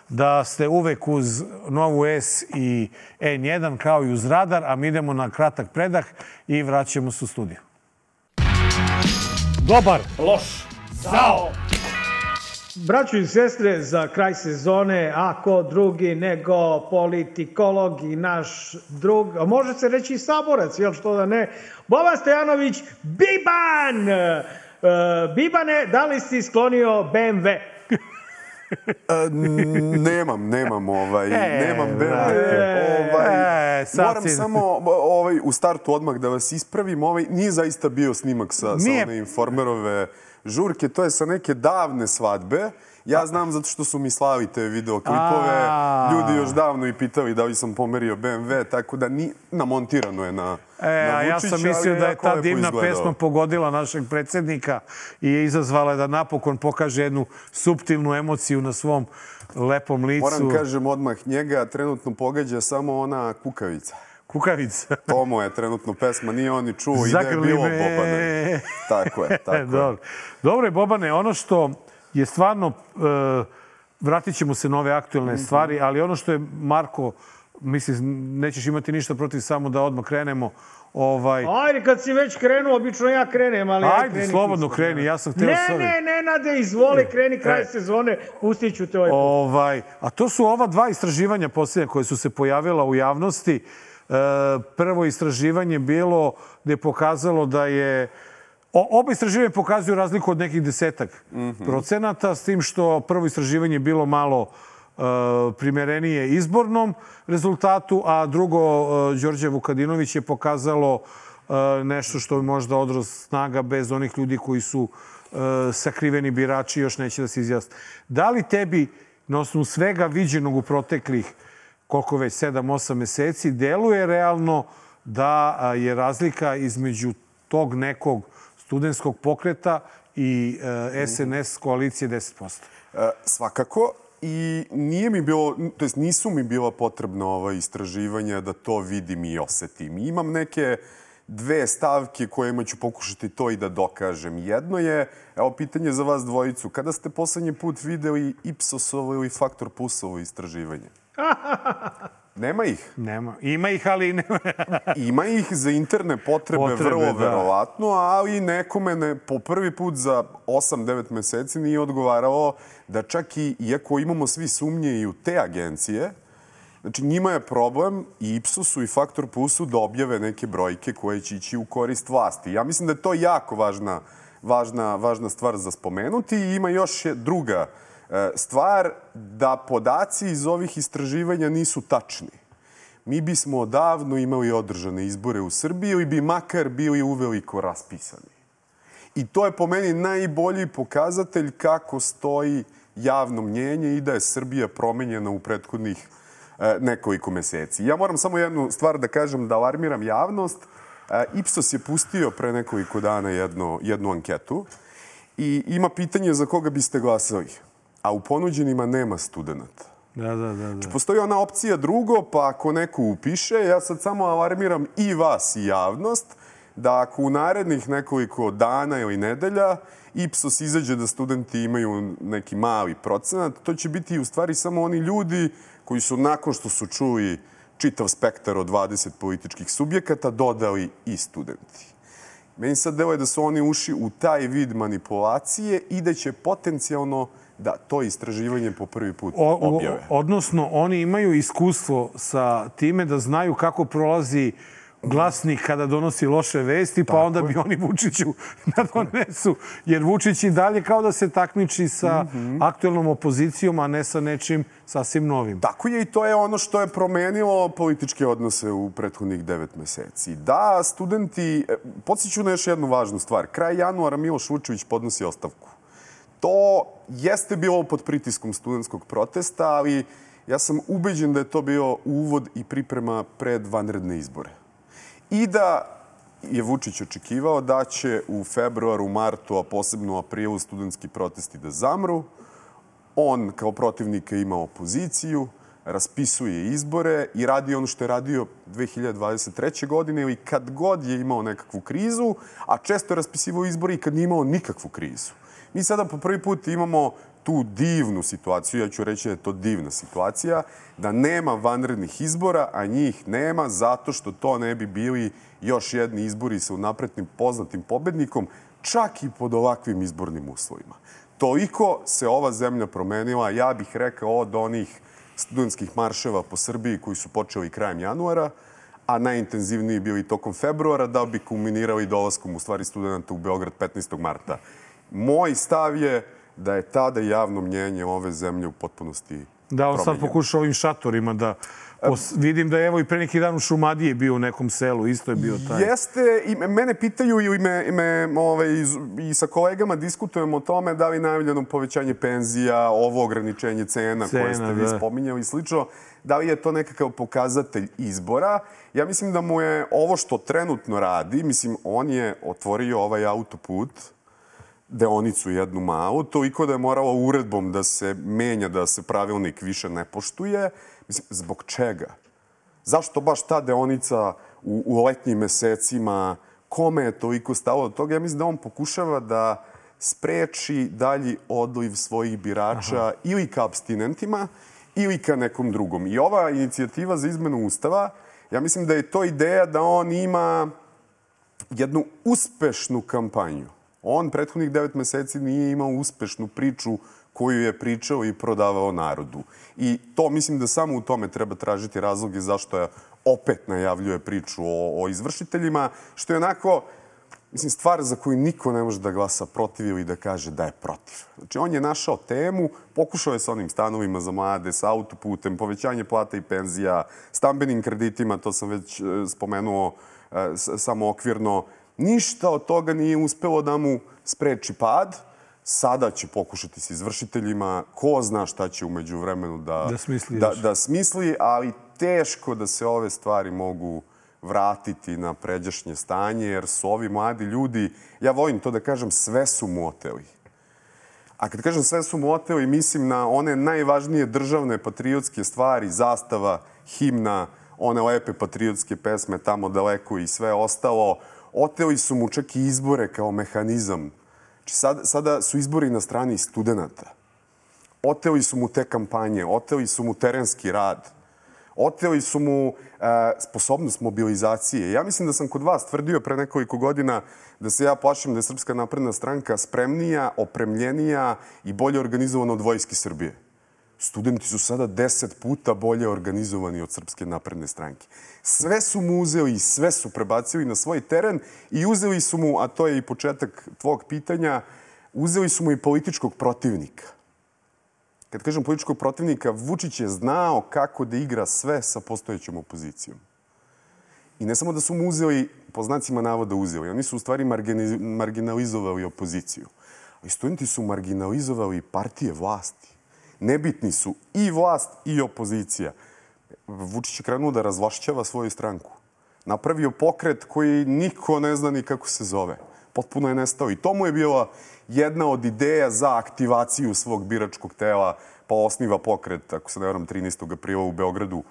da ste uvek uz Novu S i N1 kao i uz Radar, a mi idemo na kratak predah i vraćamo se u studiju. Dobar, loš, zao! Braćo i sestre, za kraj sezone, ako drugi nego politikolog i naš drug, a može se reći i saborac, jel što da ne, Boban Stojanović, Biban! Bibane, da li si sklonio BMW? Nemam BMW. Moram samo u startu odmah da vas ispravim. Nije zaista bio snimak sa one Informerove žurke. To je sa neke davne svadbe. Ja znam zato što su mi slali te videoklipove. Ljudi još davno i pitali da li sam pomerio BMW, tako da namontirano je na Vučića. Ja sam mislio da je ta divna pesma pogodila našeg predsjednika i je izazvala da napokon pokaže jednu suptilnu emociju na svom lepom licu. Moram kažem odmah, njega trenutno pogađa samo ona kukavica. Kukavica. To mu je trenutno pesma, nije on ni čuo i da je bilo Bobane. Tako je. Dobro je, Bobane, ono što je stvarno, vratit ćemo se na ove aktualne stvari, ali ono što je Marko, mislim, nećeš imati ništa protiv, samo da odmah krenemo. Ajde, kad si već krenuo, obično ja krenem, ali ja kreni. Ajde, slobodno kreni, ja sam hteo s ovim. Nenade, izvoli, kreni kraj sezone, pustit ću te ovaj put. A to su ova dva istraživanja posljednja koje su se pojavila u javnosti. Prvo istraživanje bilo gde je pokazalo da je oba istraživanja pokazuju razliku od nekih 10% s tim što prvo istraživanje je bilo malo primerenije izbornom rezultatu, a drugo, Đorđe Vukadinović je pokazalo nešto što je možda odraz snaga bez onih ljudi koji su sakriveni birači, još neće da se izjasne. Da li tebi, na osnovu svega viđenog u proteklih, koliko već, 7-8 meseci, deluje realno da je razlika između tog nekog studentskog pokreta i SNS koalicije 10%? Svakako. I nisu mi bila potrebna ova istraživanja da to vidim i osetim. Imam neke dve stavke kojima ću pokušati to i da dokažem. Jedno je, evo pitanje za vas dvojicu, kada ste poslednji put videli Ipsosovo ili Faktor Plusovo istraživanje? Nema ih? Nema. Ima ih, ali nema. Ima ih za interne potrebe vrlo verovatno, ali nekome po prvi put za 8-9 meseci nije odgovaralo da čak i, iako imamo svi sumnje i u te agencije, znači njima je problem i Ipsosu i Faktor Plusu da objave neke brojke koje će ići u korist vlasti. Ja mislim da je to jako važna stvar za spomenuti i ima još druga stvar, da podaci iz ovih istraživanja nisu tačni. Mi bismo odavno imali održane izbore u Srbiji ili bi makar bili uveliko raspisani. I to je po meni najbolji pokazatelj kako stoji javno mnjenje i da je Srbija promenjena u prethodnih nekoliko meseci. Ja moram samo jednu stvar da kažem, da alarmiram javnost. Ipsos je pustio pre nekoliko dana jednu anketu i ima pitanje za koga biste glasali. A u ponuđenima nema studenta. Da. Postoji ona opcija drugo, pa ako neko upiše, ja sad samo alarmiram i vas i javnost, da ako u narednih nekoliko dana ili nedelja Ipsos izađe da studenti imaju neki mali procenat, to će biti u stvari samo oni ljudi koji su nakon što su čuli čitav spektar od 20 političkih subjekata dodali i studenti. Meni sad deluje da su oni ušli u taj vid manipulacije i da će potencijalno da to istraživanje po prvi put objave. Odnosno, oni imaju iskustvo sa time da znaju kako prolazi glasnik kada donosi loše vesti, pa onda bi oni Vučiću da donesu. Jer Vučić i dalje kao da se takmiči sa aktuelnom opozicijom, a ne sa nečim sasvim novim. Tako je i to je ono što je promenilo političke odnose u prethodnih 9 meseci. Da, studenti, podsjeću na još jednu važnu stvar. Kraj januara Miloš Vučević podnosi ostavku. To jeste bilo pod pritiskom studentskog protesta, ali ja sam ubeđen da je to bio uvod i priprema pred vanredne izbore. I da je Vučić očekivao da će u februaru, martu, a posebno u aprilu studentski protesti da zamru. On kao protivnika ima opoziciju, raspisuje izbore i radi ono što je radio 2023. godine ili kad god je imao nekakvu krizu, a često je raspisivao izbore i kad nije imao nikakvu krizu. Mi sada po prvi put imamo tu divnu situaciju, ja ću reći da je to divna situacija, da nema vanrednih izbora, a njih nema zato što to ne bi bili još jedni izbori sa unaprednim poznatim pobednikom, čak i pod ovakvim izbornim uslovima. Toliko se ova zemlja promenila, ja bih rekao, od onih studentskih marševa po Srbiji koji su počeli krajem januara, a najintenzivniji bili tokom februara, da bi kulminirali dolaskom u stvari studenta u Beograd 15. marta. Moj stav je da je tada javno mnjenje ove zemlje u potpunosti promenjeno. Da, on sad pokuša ovim šatorima da... Vidim da je evo i pre neki dan u Šumadiji bio u nekom selu, isto je bio taj. Jeste, i mene pitaju i sa kolegama diskutujemo o tome da li najavljeno povećanje penzija, ovo ograničenje cena koje ste vi spominjali i slično, da li je to nekakav pokazatelj izbora. Ja mislim da mu je ovo što trenutno radi, mislim, on je otvorio ovaj autoput, deonicu jednu malu, toliko da je moralo uredbom da se menja, da se pravilnik više ne poštuje. Mislim, zbog čega? Zašto baš ta deonica u letnjim mesecima? Kome je toliko stalo od toga? Ja mislim da on pokušava da spreči dalji odliv svojih birača ili ka apstinentima ili ka nekom drugom. I ova inicijativa za izmenu Ustava, ja mislim da je to ideja da on ima jednu uspešnu kampanju. On prethodnih 9 meseci nije imao uspešnu priču koju je pričao i prodavao narodu. I to mislim da samo u tome treba tražiti razloge zašto je opet najavljuje priču o izvršiteljima, što je onako, mislim, stvar za koju niko ne može da glasa protiv ili da kaže da je protiv. Znači, on je našao temu, pokušao je sa onim stanovima za mlade, sa autoputem, povećanje plata i penzija, stambenim kreditima, to sam već spomenuo samo okvirno. Ništa od toga nije uspelo da mu spreči pad. Sada će pokušati s izvršiteljima. Ko zna šta će umeđu vremenu da smisli, ali teško da se ove stvari mogu vratiti na pređašnje stanje, jer su ovi mladi ljudi, ja volim to da kažem, sve su mu oteli. A kad kažem sve su mu oteli, mislim na one najvažnije državne patriotske stvari, zastava, himna, one lepe patriotske pesme tamo daleko i sve ostalo. Oteli su mu čak i izbore kao mehanizam. Znači, sada su izbori na strani studenta. Oteli su mu te kampanje, oteli su mu terenski rad, oteli su mu sposobnost mobilizacije. Ja mislim da sam kod vas tvrdio pre nekoliko godina da se ja plašim da je Srpska napredna stranka spremnija, opremljenija i bolje organizovana od Vojske Srbije. Studenti su sada 10 puta bolje organizovani od Srpske napredne stranke. Sve su mu uzeli i sve su prebacili na svoj teren i uzeli su mu, a to je i početak tvog pitanja, uzeli su mu i političkog protivnika. Kad kažem političkog protivnika, Vučić je znao kako da igra sve sa postojećom opozicijom. I ne samo da su mu uzeli, po znacima navoda uzeli, oni su u stvari marginalizovali opoziciju. Ali studenti su marginalizovali partije vlasti. Nebitni su i vlast i opozicija. Vučić je krenuo da razvlašćava svoju stranku. Napravio pokret koji niko ne zna ni kako se zove. Potpuno je nestao. I to mu je bila jedna od ideja za aktivaciju svog biračkog tela, pa osniva pokret, ako se ne varam, 13. aprila u Beogradu.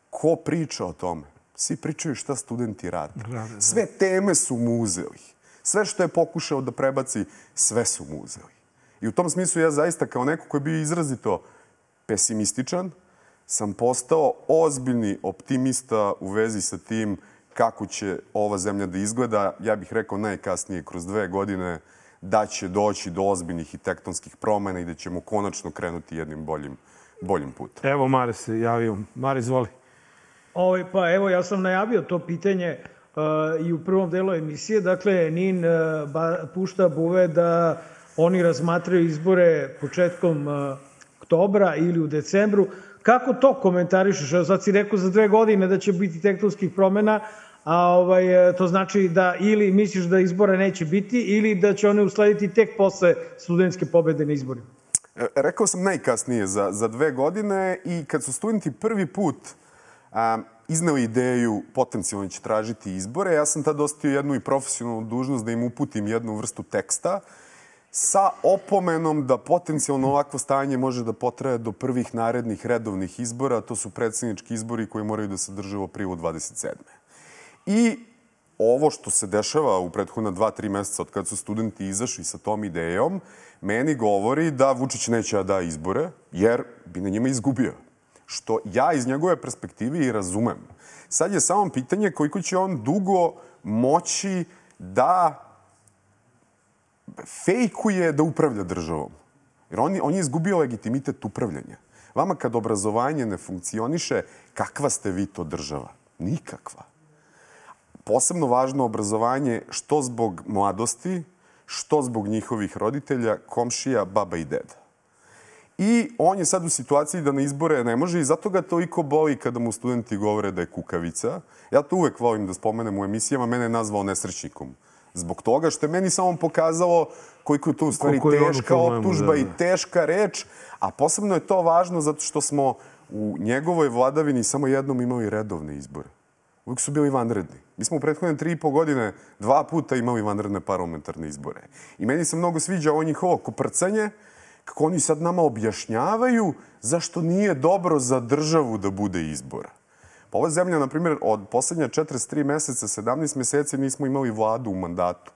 Ko priča o tome? Svi pričaju šta studenti rade. Sve teme su mu uzeli. Sve što je pokušao da prebaci, sve su mu uzeli. I u tom smislu ja zaista kao neko koji je bio izrazito pesimističan, sam postao ozbiljni optimista u vezi sa tim kako će ova zemlja da izgleda. Ja bih rekao najkasnije kroz 2 godine da će doći do ozbiljnih i tektonskih promena i da ćemo konačno krenuti jednim boljim putem. Evo, Mare se javio. Mare, izvoli. Pa evo, ja sam najavio to pitanje i u prvom delu emisije. Dakle, NIN pušta buve da oni razmatraju izbore početkom oktobra ili u decembru. Kako to komentarišeš? Evo sad si rekao za 2 godine da će biti tektonskih promena, a to znači da ili misliš da izbora neće biti ili da će one uslediti tek posle studentske pobede na izborima? Rekao sam najkasnije za 2 godine i kad su studenti prvi put izneo ideju potencijalno će tražiti izbore, ja sam tad ostavio jednu i profesionalnu dužnost da im uputim jednu vrstu teksta sa opomenom da potencijalno ovakvo stanje može da potraje do prvih narednih redovnih izbora, to su predsjednički izbori koji moraju da se drže u aprilu 27. I ovo što se dešava u prethodna 2-3 meseca od kada su studenti izašli sa tom idejom, meni govori da Vučić neće da izbore, jer bi na njima izgubio. Što ja iz njegove perspektive i razumem. Sad je samo pitanje koliko će on dugo moći da fejkuje da upravlja državom. Jer on je izgubio legitimitet upravljanja. Vama kad obrazovanje ne funkcioniše, kakva ste vi to država? Nikakva. Posebno važno obrazovanje što zbog mladosti, što zbog njihovih roditelja, komšija, baba i deda. I on je sad u situaciji da na izbore ne može i zato ga toliko boli kada mu studenti govore da je kukavica. Ja to uvek volim da spomenem u emisijama, mene je nazvao nesrećnikom. Zbog toga što je meni samo pokazalo koliko je to u stvari teška optužba i teška reč, a posebno je to važno zato što smo u njegovoj vladavini samo jednom imali redovne izbore. Uvijek su bili vanredni. Mi smo u prethodne 3,5 godine 2 puta imali vanredne parlamentarne izbore. I meni se mnogo sviđa ovo njihovo koprcanje, kako oni sad nama objašnjavaju zašto nije dobro za državu da bude izbora. Pa ova zemlja, na primjer, od poslednja 43 meseca, 17 meseci nismo imali vladu u mandatu.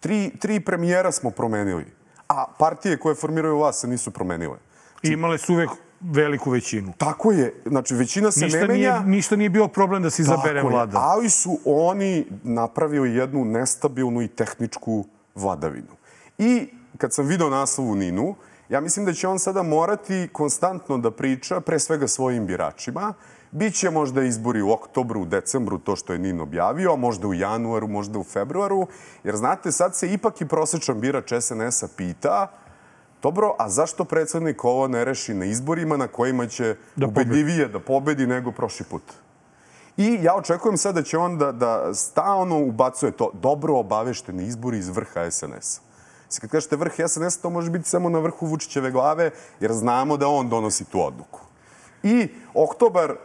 3 premijera smo promenili, a partije koje formiraju vlast se nisu promenile. I imale su uvek veliku većinu. Tako je. Znači, većina se ne menja. Ništa nije bio problem da se izabere vlada. Ali su oni napravili jednu nestabilnu i tehničku vladavinu. I kad sam video naslov u NIN-u, ja mislim da će on sada morati konstantno da priča, pre svega svojim biračima. Biće možda izbori u oktobru, u decembru, to što je NIN objavio, možda u januaru, možda u februaru. Jer znate, sad se ipak i prosječan birač SNS-a pita dobro, a zašto predsjednik ovo ne reši na izborima na kojima će ubedljivije da pobedi nego prošli put? I ja očekujem sad da će on da stalno ubacuje to dobro obavešteni izbori iz vrha SNS-a. Kad kažete vrh SNS, to može biti samo na vrhu Vučićeve glave, jer znamo da on donosi tu odluku. I oktobar,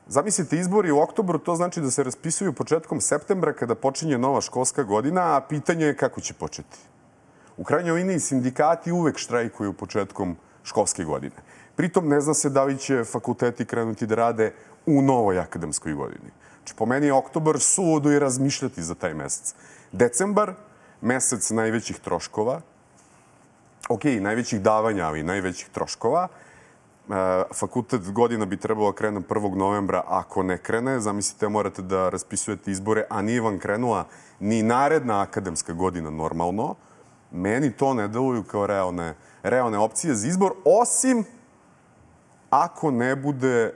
zamislite, izbori u oktobru, to znači da se raspisuju početkom septembra kada počinje nova školska godina, a pitanje je kako će početi. U krajnjoj liniji sindikati uvek štrajkuju početkom školske godine. Pritom ne zna se da li će fakulteti krenuti da rade u novoj akademskoj godini. Znači, po meni je oktobar suludo i razmišljati za taj mesec. Decembar, mesec najvećih troškova, najvećih davanja, ali najvećih troškova. Fakultet godina bi trebalo krene 1. novembra, ako ne krene, zamislite, morate da raspisujete izbore, a nije vam krenula ni naredna akademska godina normalno. Meni to ne deluju kao realne opcije za izbor, osim ako ne bude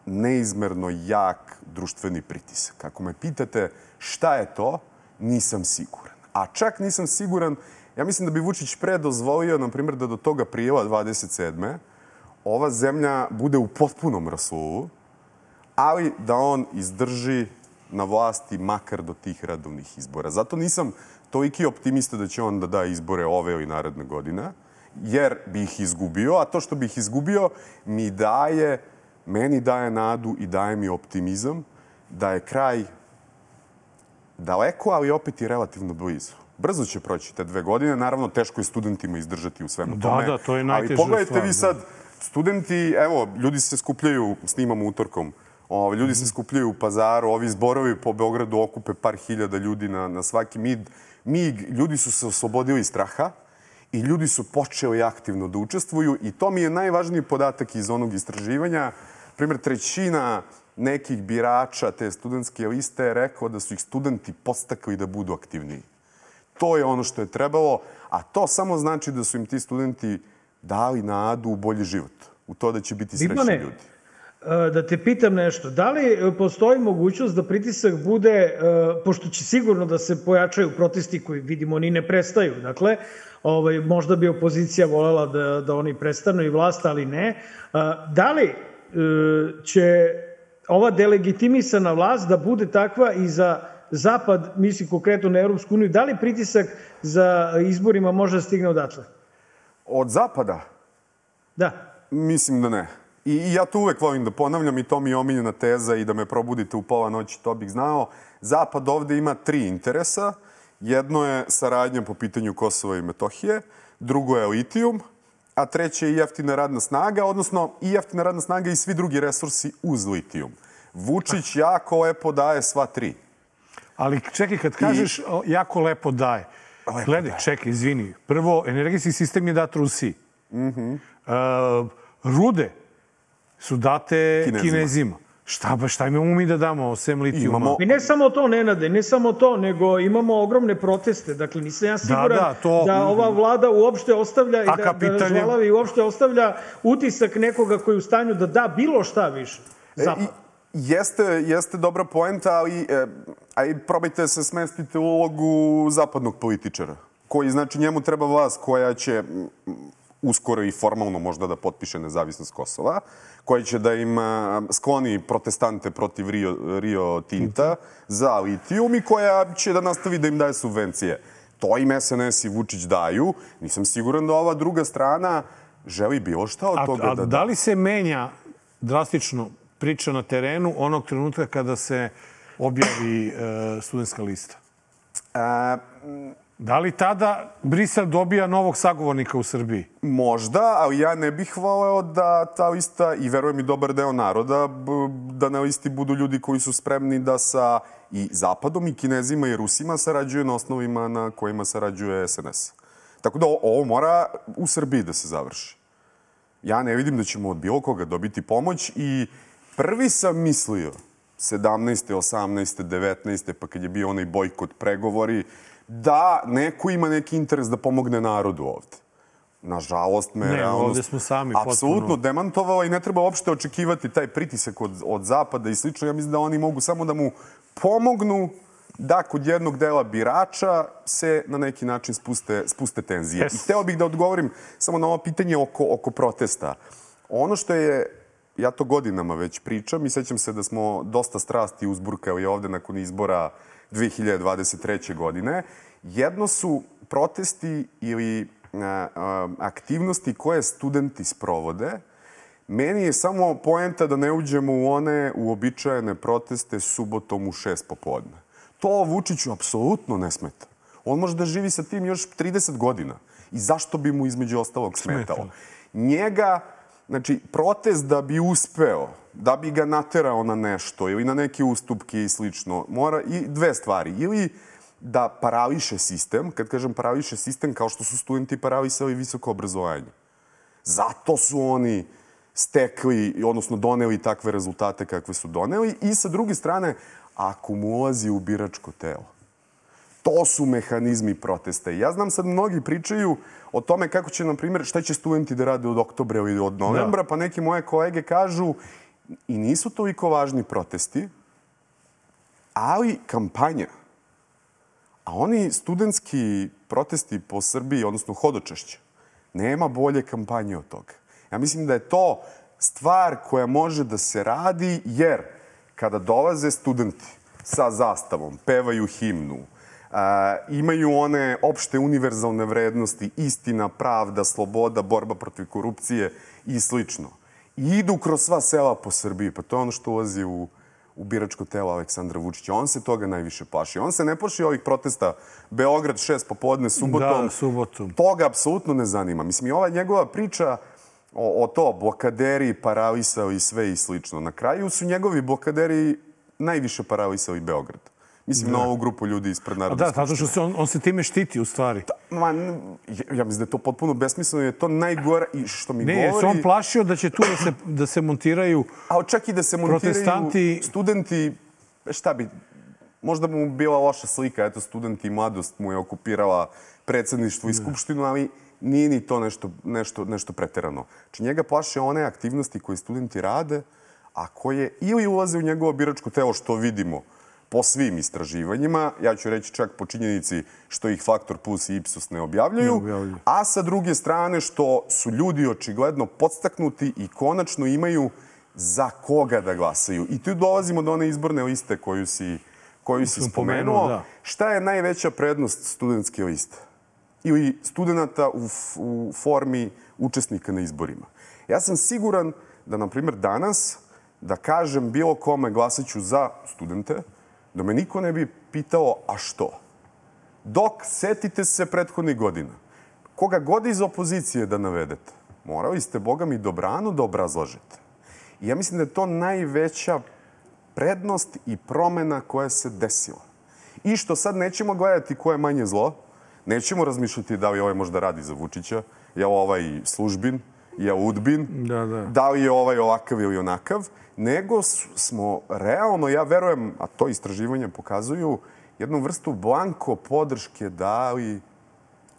neizmerno jak društveni pritisak. Ako me pitate šta je to, nisam siguran. A čak nisam siguran, ja mislim da bi Vučić pre dozvolio, na primjer, da do toga prijela 27. ova zemlja bude u potpunom rasulu, ali da on izdrži na vlasti makar do tih redovnih izbora. Zato nisam toliki optimista da će on da da izbore ove ili naredne godine, jer bi ih izgubio, a to što bi ih izgubio meni daje nadu i daje mi optimizam da je kraj daleko, ali opet i relativno blizu. Brzo će proći te 2 godine. Naravno, teško je studentima izdržati u svemu tome. Da, to je najteža stvar. Ali pogledajte vi sad, studenti, evo, ljudi se skupljaju, snimamo utorkom, ljudi se skupljaju u Pazaru, ovi zborovi po Beogradu okupe par hiljada ljudi na svaki mig. Ljudi su se oslobodili straha i ljudi su počeli aktivno da učestvuju i to mi je najvažniji podatak iz onog istraživanja. Primjer, 1/3 nekih birača te studentske liste je rekao da su ih studenti podstakli da budu aktivniji. To je ono što je trebalo, a to samo znači da su im ti studenti dali nadu u bolji život, u to da će biti srećni ljudi. Da te pitam nešto, da li postoji mogućnost da pritisak bude, pošto će sigurno da se pojačaju protesti koji vidimo ni ne prestaju, dakle, možda bi opozicija voljela da oni prestanu i vlast, ali ne, da li će ova delegitimisana vlast da bude takva i za Zapad, mislim konkretno na Europsku uniju, da li pritisak za izborima može da stigne odatle? Od Zapada? Da. Mislim da ne. I ja to uvek volim da ponavljam i to mi je omiljena teza i da me probudite u pola noći, to bih znao. Zapad ovde ima 3 interesa. Jedno je saradnja po pitanju Kosova i Metohije, drugo je litijum, a treće je jeftina radna snaga, odnosno i jeftina radna snaga i svi drugi resursi uz litijum. Vučić jako lepo daje sva 3. Ali čekaj, kad kažeš jako lepo daje, gledaj, čekaj, izvini. Prvo, energetski sistem je dat Rusiji. Rude su date Kinezima. Šta imamo mi da damo osim litijuma? I ne samo to, Nenade, ne samo to, nego imamo ogromne proteste. Dakle, nisam ja siguran da ova vlada uopšte ostavlja i da žvalavi uopšte ostavlja utisak nekoga koji je u stanju da da bilo šta više. Jeste dobra poenta, ali probajte da se smestite u ulogu zapadnog političara, koji, znači, njemu treba vlast koja će uskoro i formalno možda da potpiše nezavisnost Kosova, koja će da im skloni protestante protiv Rio Tinta za litijum i koja će da nastavi da im daje subvencije. To im SNS i Vučić daju. Nisam siguran da ova druga strana želi bilo šta od toga da da. A da li se menja drastično priča na terenu onog trenutka kada se objavi studentska lista? Da li tada Brisel dobija novog sagovornika u Srbiji? Možda, ali ja ne bih voleo da ta lista, i verujem i dobar deo naroda, da na listi budu ljudi koji su spremni da sa i Zapadom i Kinezima i Rusima sarađuju na osnovima na kojima sarađuje SNS. Tako da ovo mora u Srbiji da se završi. Ja ne vidim da ćemo od bilo koga dobiti pomoć i prvi sam mislio 17. 18. 19. pa kad je bio onaj bojkot pregovori, da neko ima neki interes da pomogne narodu ovde. Nažalost, me realnost apsolutno demantovala i ne treba uopšte očekivati taj pritisak od Zapada i slično. Ja mislim da oni mogu samo da mu pomognu da kod jednog dela birača se na neki način spuste tenzije. I hteo bih da odgovorim samo na ovo pitanje oko protesta. Ono što je, ja to godinama već pričam i sećam se da smo dosta strasti uzburkali ovde nakon izbora 2023. godine. Jedno su protesti ili aktivnosti koje studenti sprovode. Meni je samo poenta da ne uđemo u one uobičajene proteste subotom u 6 popodne. To Vučiću apsolutno ne smeta. On može da živi sa tim još 30 godina. I zašto bi mu između ostalog smetalo? Njega, znači, protest da bi uspeo, da bi ga naterao na nešto ili na neke ustupke i slično, mora i 2 stvari. Ili da parališe sistem, kad kažem parališe sistem, kao što su studenti paralisali visoko obrazovanje. Zato su oni stekli, odnosno doneli takve rezultate kakve su doneli. I sa druge strane, ako mu ulazi u biračko telo. To su mehanizmi protesta. Ja znam sad mnogi pričaju o tome kako će, na primjer, šta će studenti da rade od oktobra ili od novembra, pa neki moje kolege kažu i nisu toliko važni protesti, ali kampanja. A oni studentski protesti po Srbiji, odnosno hodočašće, nema bolje kampanje od toga. Ja mislim da je to stvar koja može da se radi, jer kada dolaze studenti sa zastavom, pevaju himnu, imaju one opšte univerzalne vrednosti, istina, pravda, sloboda, borba protiv korupcije i slično. I idu kroz sva sela po Srbiji. Pa to je ono što ulazi u biračko telo Aleksandra Vučića. On se toga najviše plaši. On se ne plaši ovih protesta Beograd 6 popodne, subotom. Da, subotom. Toga apsolutno ne zanima. Mislim, i ova njegova priča o to, blokaderi, paralisali sve i slično. Na kraju su njegovi blokaderi najviše paralisali Beograd. Mislim, na ovu grupu ljudi ispred Narodne skupštine. Da, zato što on se time štiti, u stvari. Ja mislim da je to potpuno besmisleno, je to najgore i što mi govori... Ne, se on plašio da će tu da se montiraju a čak i da se montiraju studenti, šta bi... Možda mu bila loša slika, eto, studenti i mladost mu je okupirala predsjedništvo i skupštinu, ali nije ni to nešto preterano. Znači, njega plaše one aktivnosti koje studenti rade, a koje ili ulaze u njegovo biračko telo, što vidimo po svim istraživanjima, ja ću reći čak po činjenici što ih Faktor Plus i Ipsos ne objavljuju, a sa druge strane što su ljudi očigledno podstaknuti i konačno imaju za koga da glasaju. I tu dolazimo do one izborne liste koju si spomenuo. Šta je najveća prednost studentske liste? Ili studenta u formi učesnika na izborima? Ja sam siguran da, na primjer, danas, da kažem bilo kome glasaću za studente, da me niko ne bi pitao, a što? Dok setite se prethodnih godina, koga god iz opozicije da navedete, morali ste, Boga mi, dobrano da obrazlažete. I ja mislim da je to najveća prednost i promena koja se desila. I što sad nećemo gledati ko je manje zlo, nećemo razmišljati da li ovaj možda radi za Vučića, je ovaj službin, je udbin, da li je ovaj ovakav ili onakav, nego smo realno, ja verujem, a to istraživanja pokazuju, jednu vrstu blanko podrške dali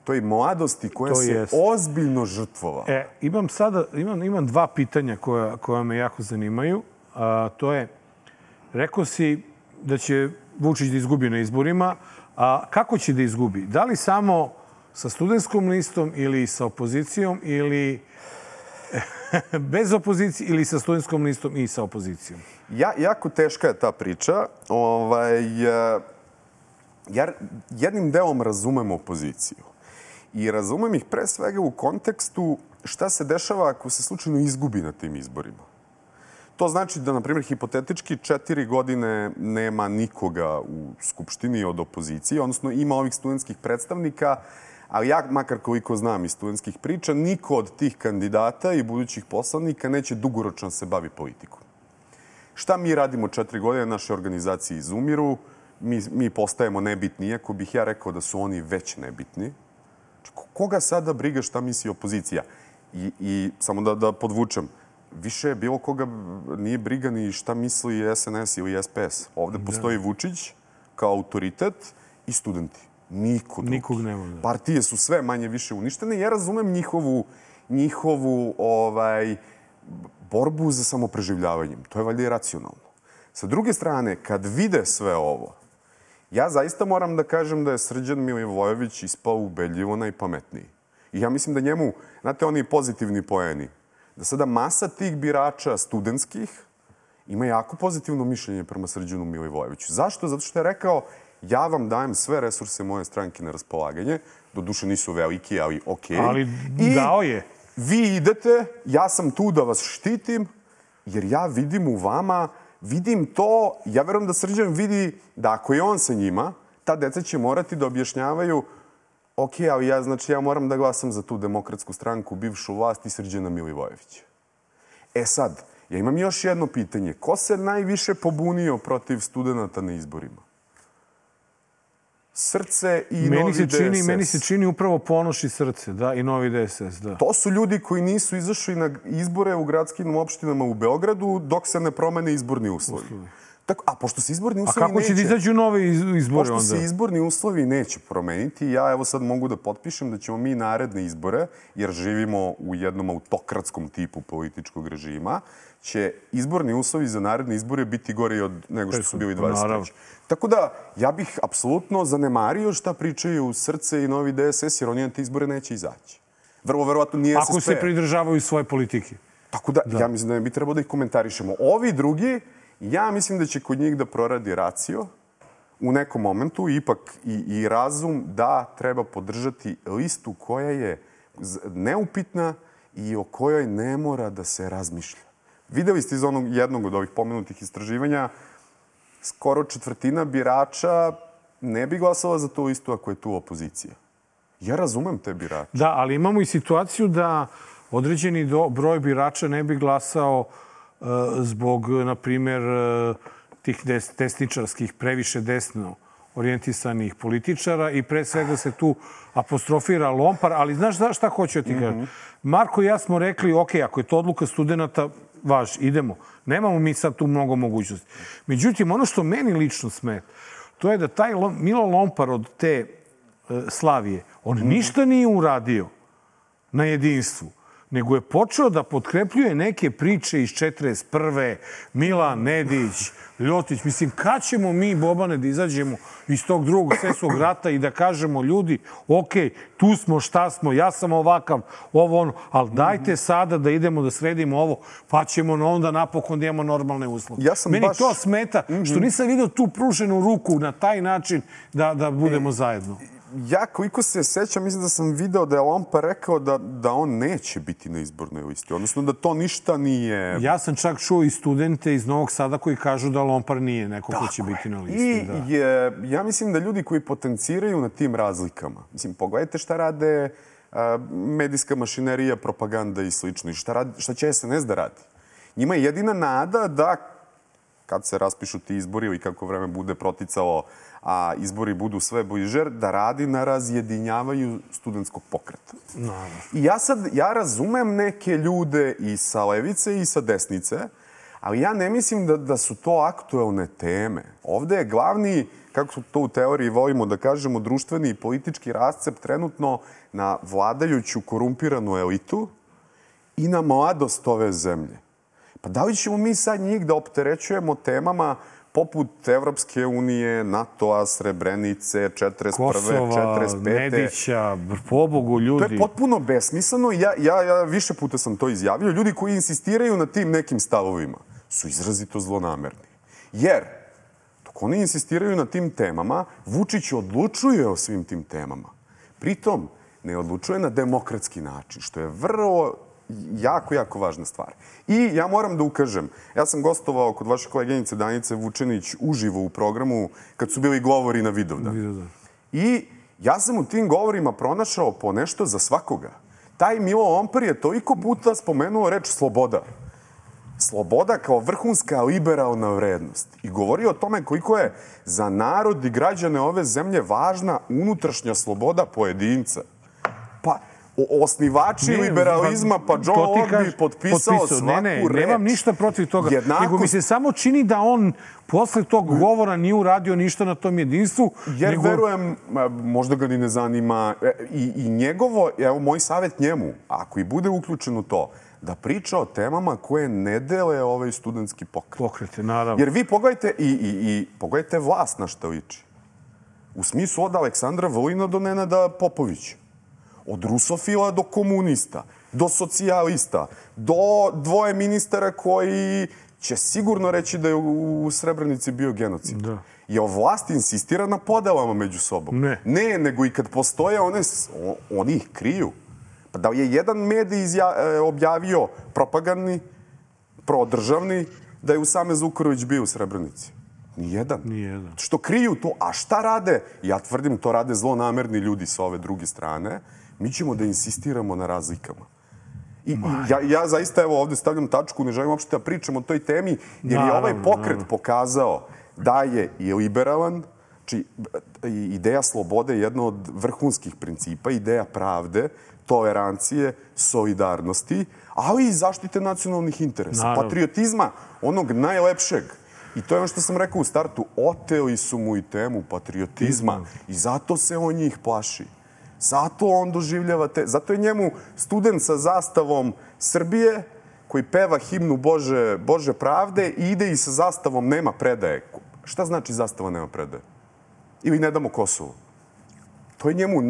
toj mladosti koja se ozbiljno žrtvovala. Imam dva pitanja koja me jako zanimaju. To je, rekao si da će Vučić da izgubi na izborima, a kako će da izgubi? Da li samo sa studentskom listom ili sa opozicijom ili bez opozicije ili sa studentskom listom i sa opozicijom? Jako teška je ta priča. Ja jednim delom razumem opoziciju. I razumem ih pre svega u kontekstu šta se dešava ako se slučajno izgubi na tim izborima. To znači da, na primjer, hipotetički 4 godine nema nikoga u Skupštini od opozicije, odnosno ima ovih studentskih predstavnika, ali ja, makar koliko znam iz studentskih priča, niko od tih kandidata i budućih poslanika neće dugoročno se bavi politikom. Šta mi radimo 4 godine? Naše organizacije izumiru, mi postajemo nebitni, iako bih ja rekao da su oni već nebitni. Koga sada briga šta misli opozicija? I samo da podvučem, više bilo koga nije briga ni šta misli SNS ili SPS. Ovde postoji Vučić kao autoritet i studenti. Nikog nema. Partije su sve manje više uništene. Ja razumem njihovu borbu za samopreživljavanjem. To je valjda i racionalno. Sa druge strane, kad vide sve ovo, ja zaista moram da kažem da je Srđan Milivojević ispao ubedljivo najpametniji. I ja mislim da njemu, znate, oni pozitivni poeni, da sada masa tih birača studentskih ima jako pozitivno mišljenje prema Srđanu Milivojeviću. Zašto? Zato što je rekao, ja vam dajem sve resurse moje stranke na raspolaganje, doduše nisu veliki, ali okej. Ali dao je. Vi idete, ja sam tu da vas štitim, jer ja vidim u vama, vidim to, ja verujem da Srđan vidi da ako je on sa njima, ta deca će morati da objašnjavaju ali ja moram da glasam za tu demokratsku stranku, bivšu vlast i Srđana Milivojevića. Sad, ja imam još jedno pitanje. Ko se najviše pobunio protiv studenta na izborima? Srce i Novi DSS. Meni se čini upravo Ponoš i Srce, da, i Novi DSS, da. To su ljudi koji nisu izašli na izbore u gradskim opštinama u Beogradu dok se ne promene izborni uslovi. A pošto se izborni uslovi neće... A kako će da izađu nove izbore onda? Pošto se izborni uslovi neće promeniti, ja evo sad mogu da potpišem da ćemo mi naredne izbore, jer živimo u jednom autokratskom tipu političkog režima, će izborni uslovi za naredne izbore biti gori nego što su bili 23. Tako da, ja bih apsolutno zanemario šta pričaju Srce i Novi DSS, jer oni na te izbore neće izaći. Vrlo verovatno nije SSP. Ako se pridržavaju svoje politike. Tako da, ja mislim da ne bi trebalo da ih komentarišemo. Ovi drugi, ja mislim da će kod njih da proradi racio u nekom momentu, ipak i razum da treba podržati listu koja je neupitna i o kojoj ne mora da se razmišlja. Videli ste iz onog jednog od ovih pomenutih istraživanja, skoro četvrtina birača ne bi glasala za tu listu ako je tu opozicija. Ja razumem te birače. Da, ali imamo i situaciju da određeni broj birača ne bi glasao zbog, na primjer, tih desničarskih, previše desno orijentisanih političara i pre svega se tu apostrofira Lompar, ali znaš šta hoću ti kažem? Marko i ja smo rekli, ako je to odluka studenta, idemo. Nemamo mi sad tu mnogo mogućnosti. Međutim, ono što meni lično smeta, to je da taj Milo Lompar od te Slavije, on ništa nije uradio na jedinstvu. nego je počeo da potkrepljuje neke priče iz 41. Milan Nedić, Ljotić. Mislim, kad ćemo mi, Bobane, da izađemo iz tog drugog svjetskog rata i da kažemo ljudi, ok, tu smo, šta smo, ja sam ovakav, ovo ono, ali dajte sada da idemo da sredimo ovo, pa ćemo onda napokon da imamo normalne uslove. Meni to smeta, što nisam vidio tu pruženu ruku na taj način da budemo zajedno. Ja, koliko se sećam, mislim da sam video da je Lompa rekao da on neće biti na izbornoj listi. Odnosno da to ništa nije... Ja sam čak čuo i studente iz Novog Sada koji kažu da Lompar nije neko ko će biti na listi. Ja mislim da ljudi koji potenciraju na tim razlikama, mislim, pogledajte šta rade medijska mašinerija, propaganda i slično. I šta će SNS da radi? Njima je jedina nada da, kad se raspišu ti izbori ili kako vreme bude proticalo, a izbori budu sve bliže, da radi na razjedinjavanju studentskog pokreta. I ja razumem neke ljude i sa levice i sa desnice, ali ja ne mislim da su to aktuelne teme. Ovde je glavni, kako to u teoriji volimo da kažemo, društveni i politički rascep trenutno na vladajuću korumpiranu elitu i na mladost ove zemlje. Pa da li ćemo mi sad njih da opterećujemo temama poput Evropske unije, NATO-a, Srebrenice, 41. Kosova, 45. Nedića, pobogu ljudi. To je potpuno besmisleno. Ja više puta sam to izjavio. Ljudi koji insistiraju na tim nekim stavovima su izrazito zlonamerni. Jer, dok oni insistiraju na tim temama, Vučić odlučuje o svim tim temama. Pritom, ne odlučuje na demokratski način, što je vrlo jako važna stvar. I ja moram da ukažem, ja sam gostovao kod vaše koleginice Danice Vučenić uživo u programu kad su bili govori na Vidovdan. I ja sam u tim govorima pronašao po nešto za svakoga. Taj Milo Lompar je toliko puta spomenuo reč sloboda. Sloboda kao vrhunska liberalna vrednost. I govorio o tome koliko je za narod i građane ove zemlje važna unutrašnja sloboda pojedinca. Pa, osnivači liberalizma, pa John Locke bi potpisao svaku reč. Nemam ništa protiv toga. Nego mi se samo čini da on posle tog govora nije uradio ništa na tom jedinstvu. Jer verujem, možda ga ni ne zanima. I njegovo, evo moj savjet njemu, ako i bude uključen u to, da priča o temama koje ne dele ovaj studentski pokret. Pokrete, naravno. Jer vi pogledajte i pogledajte vlast na šta liči. U smislu od Aleksandra Vulina do Nenada Popovića. Od rusofila do komunista, do socijalista, do dvoje ministara koji će sigurno reći da je u Srebrenici bio genocid. Jer vlast insistira na podelama među sobom. Ne, nego i kad postoje, oni ih kriju. Pa da je jedan medij objavio propagandni, prodržavni, da je Usame Zukorlić bio u Srebrenici. Nijedan. Što kriju to. A šta rade? Ja tvrdim, to rade zlonamerni ljudi sa ove druge strane. Mi ćemo da insistiramo na razlikama. I ja zaista evo ovde stavljam tačku, ne želim uopšte da pričam o toj temi, jer je ovaj pokret pokazao da je i liberalan, znači ideja slobode je jedna od vrhunskih principa, ideja pravde, tolerancije, solidarnosti, ali i zaštite nacionalnih interesa, patriotizma, onog najlepšeg. I to je ono što sam rekao u startu, oteli su mu i temu patriotizma i zato se on njih plaši. Zato on doživljava zato je njemu student sa zastavom Srbije koji peva himnu Bože pravde i ide i sa zastavom nema predaje. Šta znači zastava nema predaje? Ili ne damo Kosovo? To je njemu...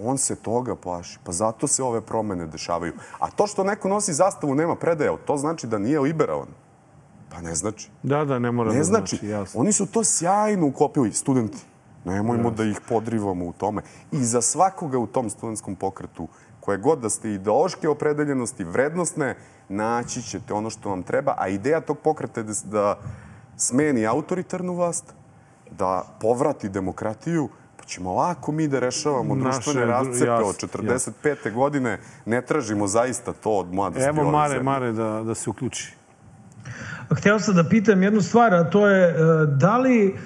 On se toga plaši. Pa zato se ove promene dešavaju. A to što neko nosi zastavu nema predaje, to znači da nije liberalan. Pa ne znači. Ne mora da znači. Jasno. Oni su to sjajno uklopili, studenti. Nemojmo da ih podrivamo u tome. I za svakoga u tom studentskom pokretu, koje god da ste ideološke opredeljenosti, vrednostne, naći ćete ono što vam treba. A ideja tog pokreta je da smeni autoritarnu vlast, da povrati demokratiju, pa ćemo lako mi da rešavamo društvene rascepe od 45. godine. Ne tražimo zaista to od mladosti ove zemlje. Evo Mare da se uključi. Hteo sam da pitam jednu stvar, a to je da li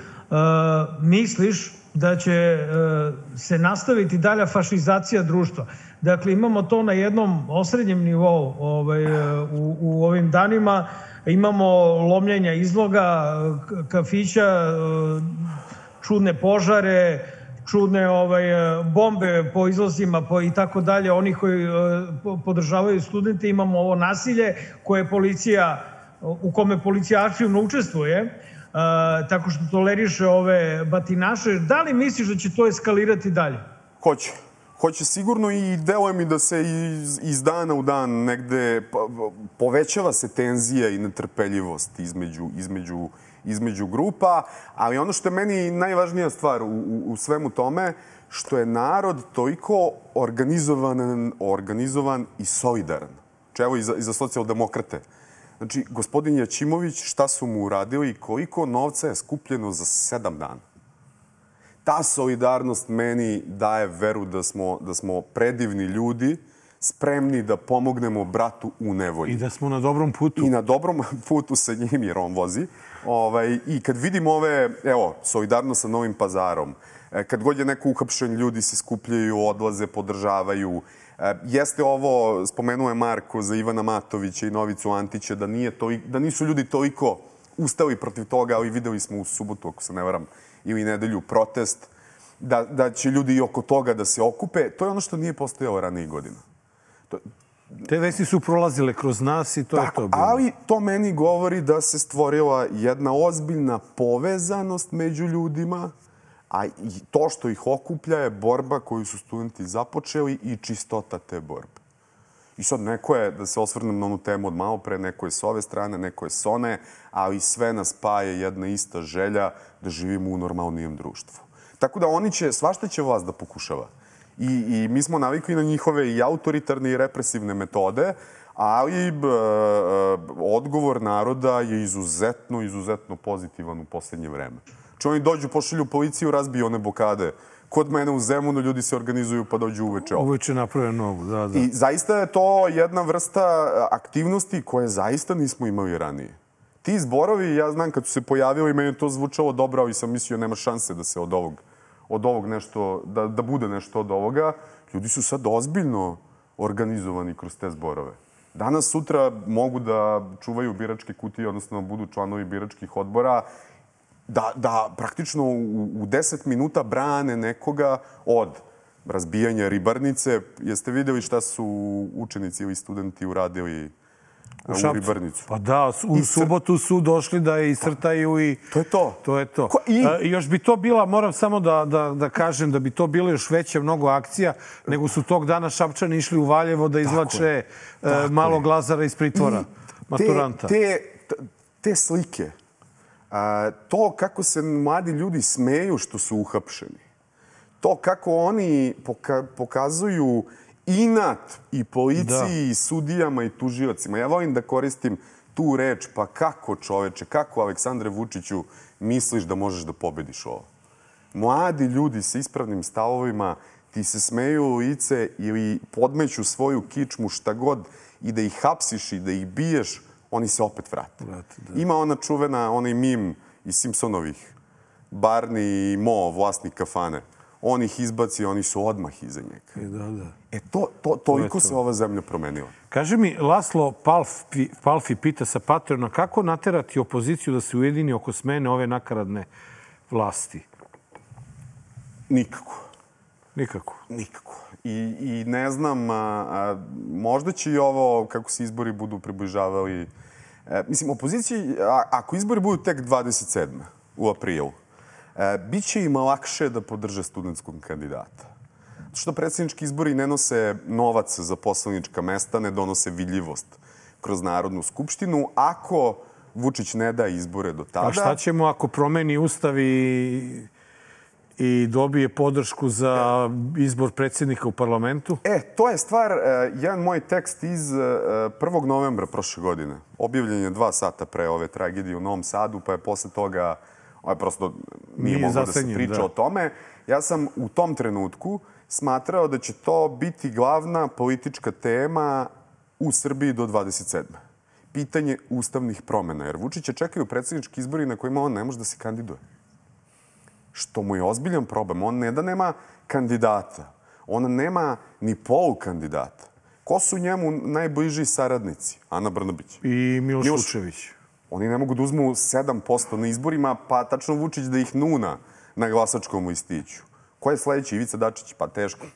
misliš da će se nastaviti dalja fašizacija društva? Dakle, imamo to na jednom osrednjem nivou u ovim danima. Imamo lomljenja izloga, kafića, čudne požare, čudne bombe po izlazima i tako dalje, oni koji podržavaju studente, imamo ovo nasilje koje policija, u kome policija aktivno učestvuje, tako što toleriše ove batinaše. Da li misliš da će to eskalirati dalje? Hoće. Hoće sigurno i deluje mi da se iz dana u dan negde povećava se tenzija i netrpeljivost između grupa, ali ono što je meni najvažnija stvar u svemu tome, što je narod toliko organizovan i solidaran. Evo i za socijaldemokrate. Znači, gospodin Jaćimović, šta su mu uradili i koliko novca je skupljeno za 7 dana. Ta solidarnost meni daje veru da smo predivni ljudi, spremni da pomognemo bratu u nevolji. I da smo na dobrom putu. I na dobrom putu sa njim, jer on vozi. I kad vidim solidarnost sa Novim Pazarom, kad god je neko uhapšen, ljudi se skupljaju, odlaze, podržavaju. Jeste ovo, spomenuo je Marko za Ivana Matovića i Novicu Antića, da nisu ljudi toliko ustali protiv toga, ali videli smo u subotu, ako se ne varam, ili nedelju protest, da će ljudi i oko toga da se okupe. To je ono što nije postojalo ranijih godina. Te vesti su prolazile kroz nas i to je to bilo. Ali to meni govori da se stvorila jedna ozbiljna povezanost među ljudima, a to što ih okuplja je borba koju su studenti započeli i čistota te borbe. I sad neko je, da se osvrnem na onu temu od malo pre, neko je s ove strane, neko je s one, ali sve nas spaje jedna ista želja da živimo u normalnijem društvu. Tako da svašta će vlast da pokušava. I mi smo navikli na njihove i autoritarne i represivne metode, ali odgovor naroda je izuzetno pozitivan u poslednje vreme. Če oni dođu, pošalju policiju, razbiju one blokade. Kod mene u Zemunu ljudi se organizuju pa dođu uveče. Uveče naprave novu, da. I zaista je to jedna vrsta aktivnosti koje zaista nismo imali ranije. Ti zborovi, ja znam kad su se pojavili, meni je to zvučalo dobro, ali sam mislio nema šanse da se od ovog nešto, da bude nešto od ovoga. Ljudi su sad ozbiljno organizovani kroz te zborove. Danas, sutra mogu da čuvaju biračke kutije, odnosno budu članovi biračkih odbora, da praktično u 10 minuta brane nekoga od razbijanja ribarnice. Jeste vidjeli šta su učenici ili studenti uradili u ribarnicu? Pa da, u subotu su došli da je iscrtaju i... To je to. To je to. Još bi to bila, moram samo da kažem, da bi to bilo još veća mnogo akcija, nego su tog dana Šapčani išli u Valjevo da izvlače malog Lazara iz pritvora, maturanta. Te slike, to kako se mladi ljudi smeju što su uhapšeni, to kako oni pokazuju inat i policiji, i sudijama i tužiocima. Ja volim da koristim tu reč, pa kako čoveče, kako Aleksandre Vučiću misliš da možeš da pobediš ovo? Mladi ljudi sa ispravnim stavovima ti se smeju u lice ili podmeću svoju kičmu šta god i da ih hapsiš i da ih biješ, oni se opet vrate. Ima ona čuvena, onaj mim iz Simpsonovih, Barney i Mo, vlasnik kafane. On ih izbaci, oni su odmah iza njega. Toliko se ova zemlja promenila. Kaži mi, Laslo Palfi pita sa Patreona, kako naterati opoziciju da se ujedini oko smene ove nakaradne vlasti? Nikako. Nikako? Nikako. I ne znam, možda će i ovo, kako se izbori budu približavali. Mislim, opoziciji, ako izbori budu tek 27. u aprilu, biće im lakše da podrže studentskog kandidata. Zato što predsjednički izbori ne nose novac za poslanička mesta, ne donose vidljivost kroz Narodnu skupštinu. Ako Vučić ne da izbore do tada... A šta ćemo ako promeni ustav i dobije podršku za izbor predsjednika u parlamentu? To je stvar, jedan moj tekst iz 1. novembra prošle godine. Objavljen je 2 sata pre ove tragedije u Novom Sadu, pa je posle toga prosto nije moglo da se priča o tome. Ja sam u tom trenutku smatrao da će to biti glavna politička tema u Srbiji do 27. Pitanje ustavnih promjena, jer Vučića čekaju predsjednički izbori na kojima on ne može da se kandiduje. Što mu je ozbiljan problem. On ne da nema kandidata, on nema ni polukandidata. Ko su njemu najbliži saradnici? Ana Brnabić. I Miloš Vučević. Oni ne mogu da uzmu 7% na izborima, pa tačno Vučić da ih nuna na glasačkom listiću. Ko je sledeći? Ivica Dačić? Pa teško.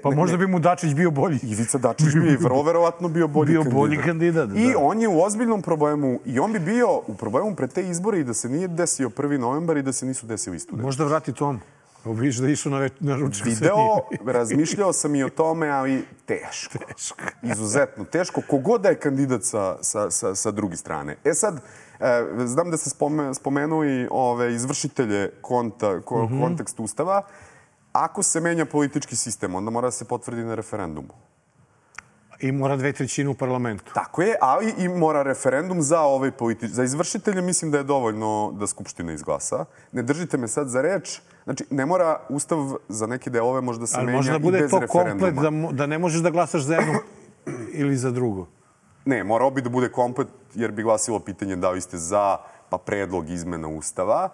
Pa možda bi mu Dačić bio bolji. Ivica Dačić bi vrlo verovatno bio bolji kandidat. I on je u ozbiljnom problemu i on bi bio u problemu pred te izbore i da se nije desio 1. novembar i da se nisu desili studenti. Možda vrati Tomu. Vidiš da je išao na ručak. Razmišljao sam i o tome, ali teško. Izuzetno teško. Kogod da je kandidat sa druge strane. Sad, znam da ste spomenuli izvršitelje kontekst Ustava. Ako se menja politički sistem, onda mora da se potvrdi na referendumu. I mora 2/3 u parlamentu. Tako je, ali i mora referendum za za izvršitelje. Mislim da je dovoljno da Skupština izglasa. Ne držite me sad za reč. Znači, ne mora Ustav za neke delove možda se menja i bez referenduma. Ali možda bude to komplet da ne možeš da glasaš za jedno ili za drugo. Ne, morao bi da bude komplet jer bi glasilo pitanje da li ste za pa predlog izmena Ustava,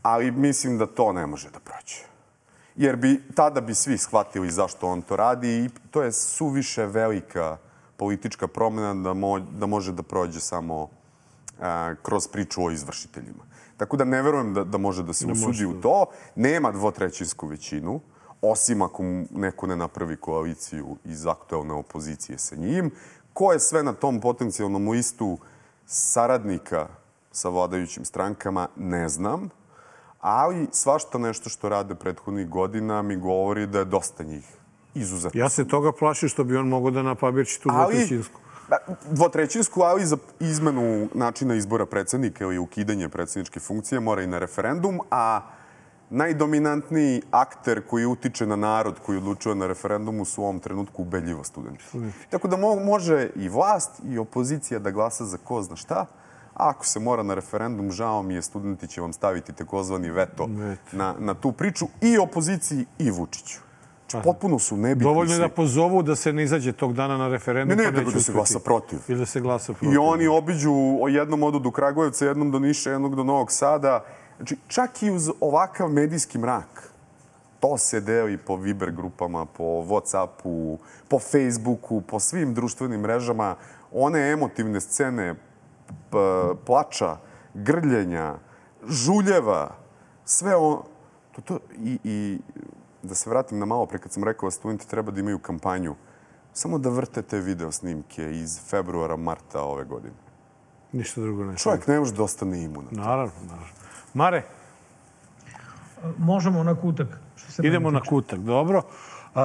ali mislim da to ne može da prođe. Jer tada bi svi shvatili zašto on to radi i to je suviše velika politička promjena da može da prođe samo kroz priču o izvršiteljima. Tako da ne verujem da može da se usudi u to. Nema 2/3 većinu, osim ako neko ne napravi koaliciju iz aktuelne opozicije sa njim. Ko je sve na tom potencijalnom listu saradnika sa vladajućim strankama, ne znam. Ali svašta nešto što rade prethodnih godina mi govori da je dosta njih izuzetno. Ja se toga plašim što bi on mogao da napabirči tu 2/3. 2/3, ali za izmenu načina izbora predsjednika ili ukidanje predsjedničke funkcije mora i na referendum, a najdominantniji akter koji utiče na narod koji odlučuje na referendumu su u ovom trenutku ubedljivo studenti. Tako da može i vlast i opozicija da glasa za ko zna šta. Ako se mora na referendum, žao mi je, studenti će vam staviti takozvani veto na tu priču i opoziciji i Vučiću. Potpuno su nebitni. Dovoljno je da pozovu da se ne izađe tog dana na referendum. Ne, da se glasa protiv. Ili da se glasa protiv. I oni obiđu, jednom odu do Kragujevca, jednom do Niša, jednog do Novog Sada. Znači, čak i uz ovakav medijski mrak, to se deli po Viber grupama, po Whatsappu, po Facebooku, po svim društvenim mrežama. One emotivne scene plača, grljenja, žuljeva, sve ono. I da se vratim na malo pre kad sam rekao da studenti treba da imaju kampanju, samo da vrte te video snimke iz februara, marta ove godine. Ništa drugo ne. Čovjek ne može da ostane imunan. Naravno. Mare? Možemo na kutak. Idemo na kutak, dobro.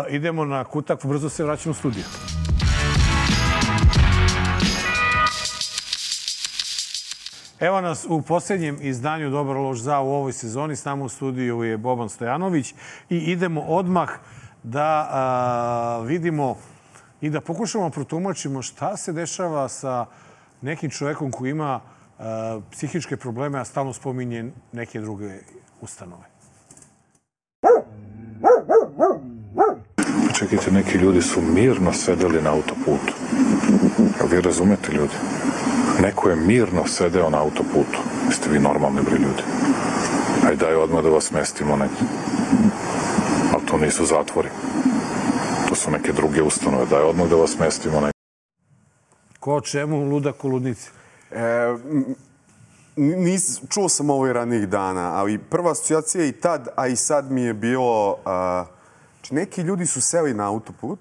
Idemo na kutak, brzo se vraćamo u studiju. Evo nas u posljednjem izdanju Dobar loš za u ovoj sezoni. S nama u studiju je Boban Stojanović i idemo odmah da vidimo i da pokušamo protumačimo šta se dešava sa nekim čovjekom koji ima psihičke probleme, a stalno spominje neke druge ustanove. Čekajte, neki ljudi su mirno sedeli na autoputu. Jel vi razumete, ljudi? Neko je mirno sedeo na autoputu. Jeste vi normalni, bre, ljudi? Ajde, daj odmah da vas smestimo negdje. Ali to nisu zatvori. To su neke druge ustanove. Daj odmah da vas smestimo negdje. Ko čemu ludak u ludnici? Čuo sam ovo i ranijih dana, ali prva asocijacija i tad, a i sad mi je bilo... Neki ljudi su seli na autoput,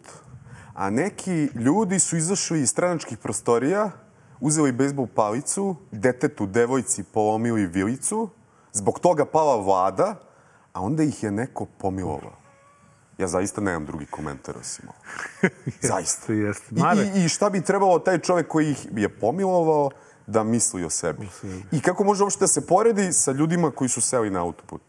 a neki ljudi su izašli iz stranačkih prostorija, uzeli bejsbol palicu, detetu, devojci polomili vilicu, zbog toga pala vlada, a onda ih je neko pomilovao. Ja zaista nemam drugi komentar osim ovo. Zaista. I šta bi trebalo taj čovjek koji ih je pomilovao da misli o sebi? I kako može uopšte da se poredi sa ljudima koji su seli na autoput?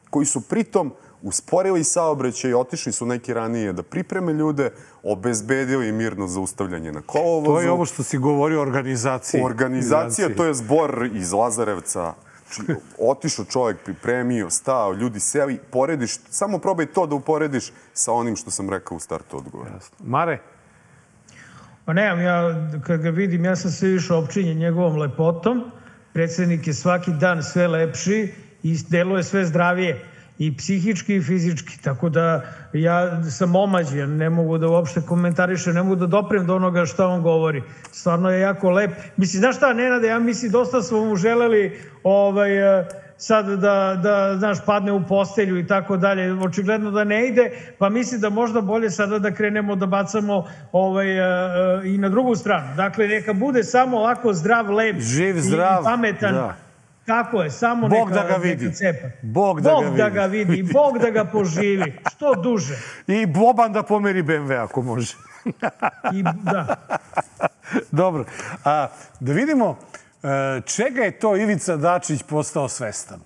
Koji su pritom usporili saobraćaj, otišli su neki ranije da pripreme ljude, obezbedili mirno zaustavljanje na kolovozu. To je ovo što si govorio o organizaciji. Organizacija, to je zbor iz Lazarevca. Otišao čovjek, pripremio, stao, ljudi seli, porediš, samo probaj to da uporediš sa onim što sam rekao u startu odgovora. Mare? Pa nemam, ja kad ga vidim, ja sam sve više opčinjen njegovom lepotom. Predsjednik je svaki dan sve lepši i deluje sve zdravije. I psihički i fizički. Tako da ja sam omađen, ne mogu da uopšte komentarišem, ne mogu da doprem do onoga što on govori. Stvarno je jako lep. Mislim, znaš šta, Nenade, ja mislim, dosta smo mu želeli sad da znaš, padne u postelju i tako dalje. Očigledno da ne ide, pa mislim da možda bolje sada da krenemo da bacamo i na drugu stranu. Dakle, neka bude samo ovako zdrav, lep živ, zdrav, i pametan. Da. Tako je, samo Bog neka, da ga vidi. neka cepa. Bog da ga vidi. I Bog da ga poživi. Što duže. I Boban da pomeri BMW ako može. Da. Dobro. Da vidimo čega je to Ivica Dačić postao svestan.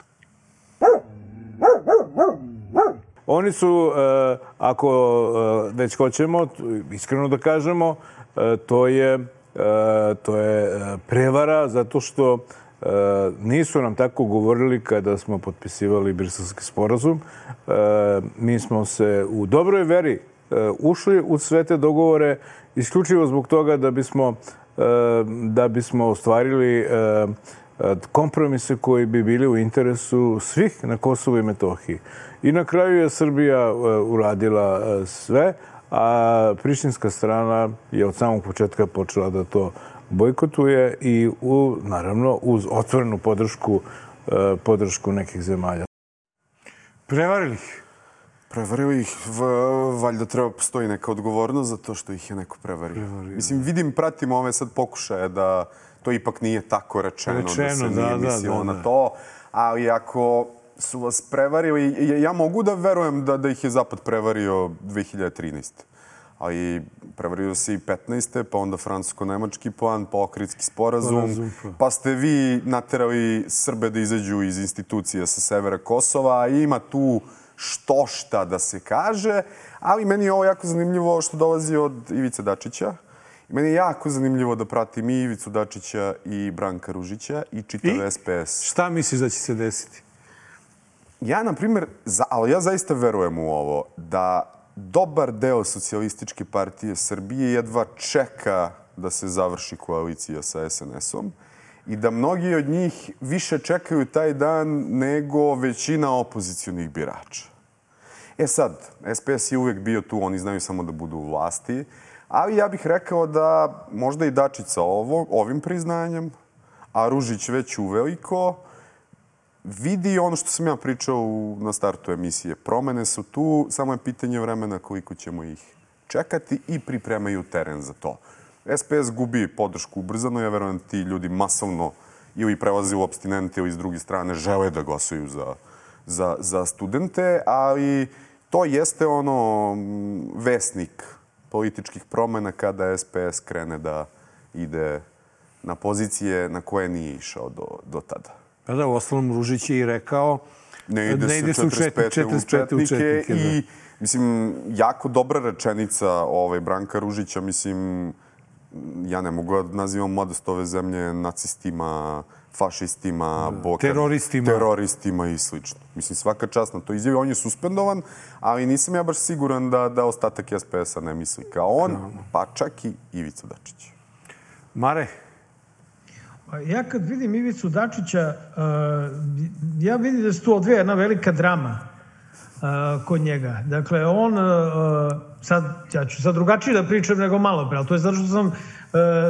Oni su, ako već hoćemo, iskreno da kažemo, to je prevara zato što nisu nam tako govorili kada smo potpisivali Briselski sporazum. Mi smo se u dobroj veri ušli u sve te dogovore isključivo zbog toga da bismo ostvarili kompromise koji bi bili u interesu svih na Kosovu i Metohiji. I na kraju je Srbija uradila sve, a prištinska strana je od samog početka počela da to bojkotuje i naravno uz otvorenu podršku nekih zemalja. Prevarili ih? Prevarili ih, valjda treba postoji neka odgovornost za to što ih je neko prevario. Mislim, pratim ove sad pokušaje da to ipak nije tako rečeno da se nije mislilo na to, ali ako su vas prevarili, ja mogu da verujem da ih je Zapad prevario 2013. Ali prevario se i 15. pa onda francusko-nemački plan, pa Ohridski sporazum, pa ste vi naterali Srbe da izađu iz institucija sa severa Kosova. Ima tu šta da se kaže, ali meni je ovo jako zanimljivo što dolazi od Ivice Dačića. Meni je jako zanimljivo da pratim i Ivicu Dačića i Branka Ružića i čitav SPS. Šta misliš da će se desiti? Ja, na primjer, ali ja zaista verujem u ovo, da dobar deo Socijalističke partije Srbije jedva čeka da se završi koalicija sa SNS-om i da mnogi od njih više čekaju taj dan nego većina opozicionih birača. Sad, SPS je uvek bio tu, oni znaju samo da budu u vlasti, ali ja bih rekao da možda i Dačić sa ovim priznanjem, a Ružić već uveliko, vidi ono što sam ja pričao na startu emisije. Promene su tu, samo je pitanje vremena koliko ćemo ih čekati i pripremaju teren za to. SPS gubi podršku ubrzano, ja verujem ti ljudi masovno ili prelaze u apstinente ili s druge strane žele da glasuju za studente, ali to jeste vesnik političkih promena kada SPS krene da ide na pozicije na koje nije išao do tada. Pa da, u ostalom Ružić je i rekao ne ide se u 45. u četnike i, mislim, jako dobra rečenica Branka Ružića, mislim, ja ne mogu da nazivam mladost ove zemlje nacistima, fašistima, teroristima i slično. Mislim, svaka čast na to izjavi. On je suspendovan, ali nisam ja baš siguran da ostatak SPS-a ne misli kao on, pa čak i Ivica Dačić. Mare? Ja kad vidim Ivicu Dačića, ja vidim da se tu odvija jedna velika drama kod njega. Dakle, on, ja ću sad drugačije da pričam nego malo pre, ali to je zato što sam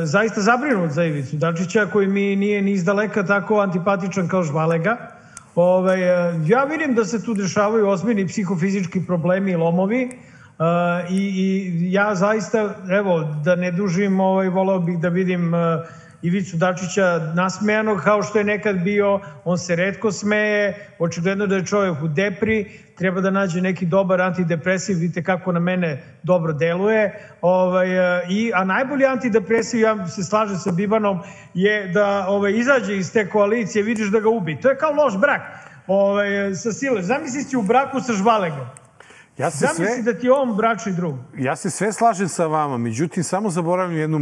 zaista zabrinut za Ivicu Dačića, koji mi nije ni izdaleka tako antipatičan kao Žvalega. Ja vidim da se tu dešavaju ozbiljni psihofizički problemi i lomovi i ja zaista, evo, da ne dužim, voleo bih da vidim Ivicu Dačića nasmejanog kao što je nekad bio. On se retko smeje, očigledno da je čovjek u depri, treba da nađe neki dobar antidepresiv, vidite kako na mene dobro deluje. A najbolji antidepresiv, ja se slažem sa Bibanom, je da izađe iz te koalicije, vidiš da ga ubi. To je kao loš brak sa Silež. Zamisli si u braku sa Žvalegom. Zamisli da ti je on bračni drug. Ja se sve slažem sa vama, međutim, samo zaboravim jednu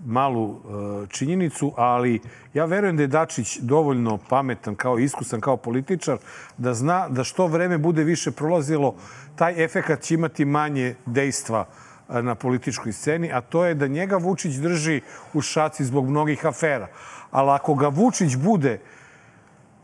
malu činjenicu, ali ja verujem da je Dačić dovoljno pametan, iskusan kao političar, da zna da što vreme bude više prolazilo, taj efekat će imati manje dejstva na političkoj sceni, a to je da njega Vučić drži u šaci zbog mnogih afera. Ali ako ga Vučić bude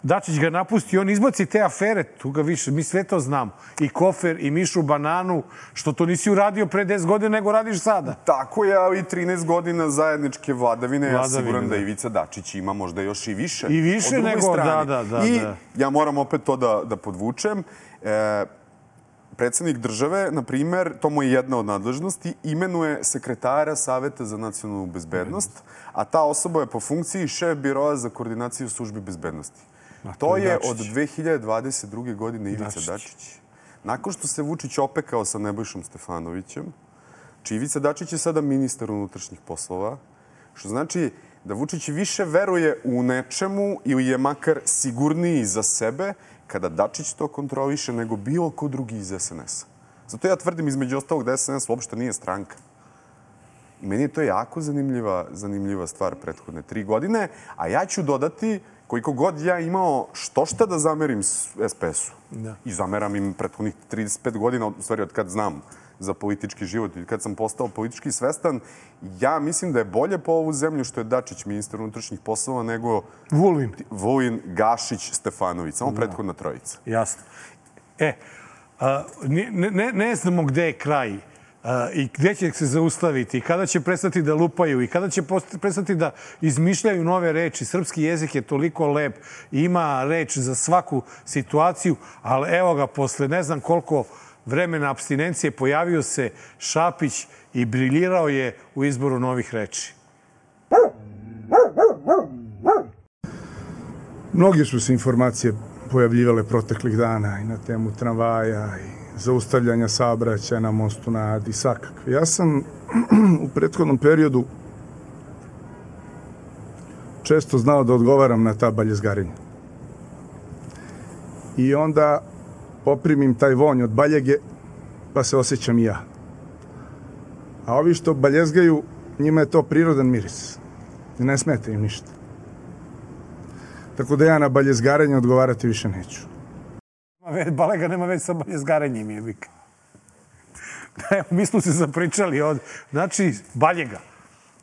Dačić ga napusti, on izbaci te afere, tu ga više, mi sve to znamo. I Kofer, i Mišu Bananu, što to nisi uradio pre 10 godina, nego radiš sada. Tako je, ali 13 godina zajedničke vladavine, ja siguran da Ivica Dačić ima možda još i više. I više nego, da. I ja moram opet to da podvučem. Predsednik države, na primer, to mu je jedna od nadležnosti, imenuje sekretara Saveta za nacionalnu bezbednost, a ta osoba je po funkciji šef biroa za koordinaciju službi bezbednosti. To je od 2022. godine Ivica Dačić. Nakon što se Vučić opekao sa Nebojšom Stefanovićem, Ivica Dačić je sada ministar unutrašnjih poslova, što znači da Vučić više veruje u nečemu ili je makar sigurniji za sebe kada Dačić to kontroliše nego bilo ko drugi iz SNS-a. Zato ja tvrdim između ostalog da SNS uopšte nije stranka. I meni je to jako zanimljiva stvar prethodne 3 godine, a ja ću dodati koliko god ja imao šta da zamerim SPS-u. I zameram im prethodnih 35 godina, u stvari od kad znam za politički život i kad sam postao politički svestan, ja mislim da je bolje po ovu zemlju što je Dačić ministar unutrašnjih poslova nego Vulin, Gašić, Stefanović. Samo prethodna trojica. Jasno. Ne znamo gde je kraj i gde će se zaustaviti i kada će prestati da lupaju i kada će prestati da izmišljaju nove reči. Srpski jezik je toliko lep i ima reč za svaku situaciju, ali evo ga, posle ne znam koliko vremena apstinencije pojavio se Šapić i briljirao je u izboru novih reči. Mnogi su se informacije pojavljivale proteklih dana i na temu tramvaja i zaustavljanja saobraćaja na mostu na Adi, svakakve. Ja sam u prethodnom periodu često znao da odgovaram na ta baljezgarenja. I onda poprimim taj vonj od baljege, pa se osjećam i ja. A ovi što baljezgaju, njima je to prirodan miris. I ne smeta im ništa. Tako da ja na baljezgarenje odgovarati više neću. Balega nema već sa baljezgarenjem, jebik. Mi smo se zapričali od... Znači, baljega.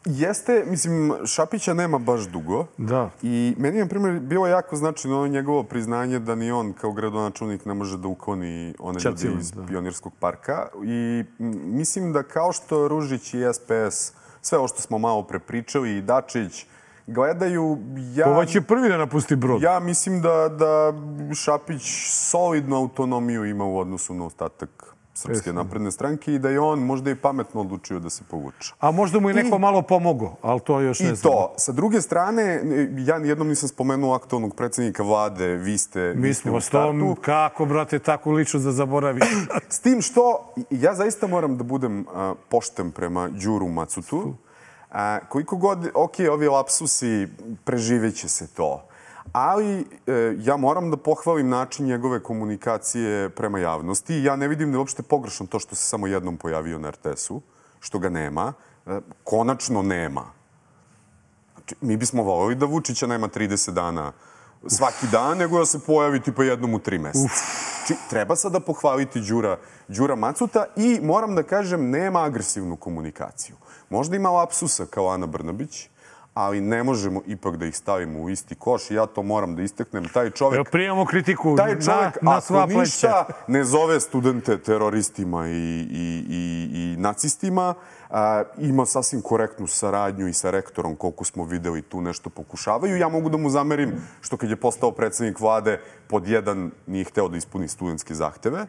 Jeste, mislim, Šapića nema baš dugo. Da. I meni je, na primjer, bilo jako značajno njegovo priznanje da ni on kao gradonačelnik ne može da ukloni one ljudi iz Pionirskog parka. I mislim da kao što Ružić i SPS, sve ovo što smo malo prepričali, i Dačić, gledaju... Ovo će prvi da napusti brod. Ja mislim da Šapić solidnu autonomiju ima u odnosu na ostatak Srpske napredne stranke i da je on možda i pametno odlučio da se povuče. A možda mu je neko malo pomogao, ali to još ne znam. I to. Sa druge strane, ja nijednom nisam spomenuo aktualnog predsjednika vlade, vi ste u startu. Kako, brate, tako lično da zaboraviš? S tim što, ja zaista moram da budem pošten prema Đuru Macutu. Koliko god, ovi lapsusi, preživeće se to. Ali ja moram da pohvalim način njegove komunikacije prema javnosti. Ja ne vidim da je uopšte pogrešno to što se samo jednom pojavio na RTS-u, što ga nema. Konačno nema. Mi bismo voljeli da Vučića nema 30 dana svaki dan, nego da se pojavi tipa jednom u 3 meseca. Treba sada pohvaliti Đura Macuta i moram da kažem, nema agresivnu komunikaciju. Možda ima lapsusa kao Ana Brnabić, ali ne možemo ipak da ih stavimo u isti koš i ja to moram da istaknem. Taj čovek... Prijemamo kritiku na sva pleća. Ako ništa ne zove studente teroristima i nacistima, ima sasvim korektnu saradnju i sa rektorom, koliko smo videli tu nešto pokušavaju. Ja mogu da mu zamerim što kad je postao predsjednik vlade, pod 1 nije hteo da ispuni studentske zahteve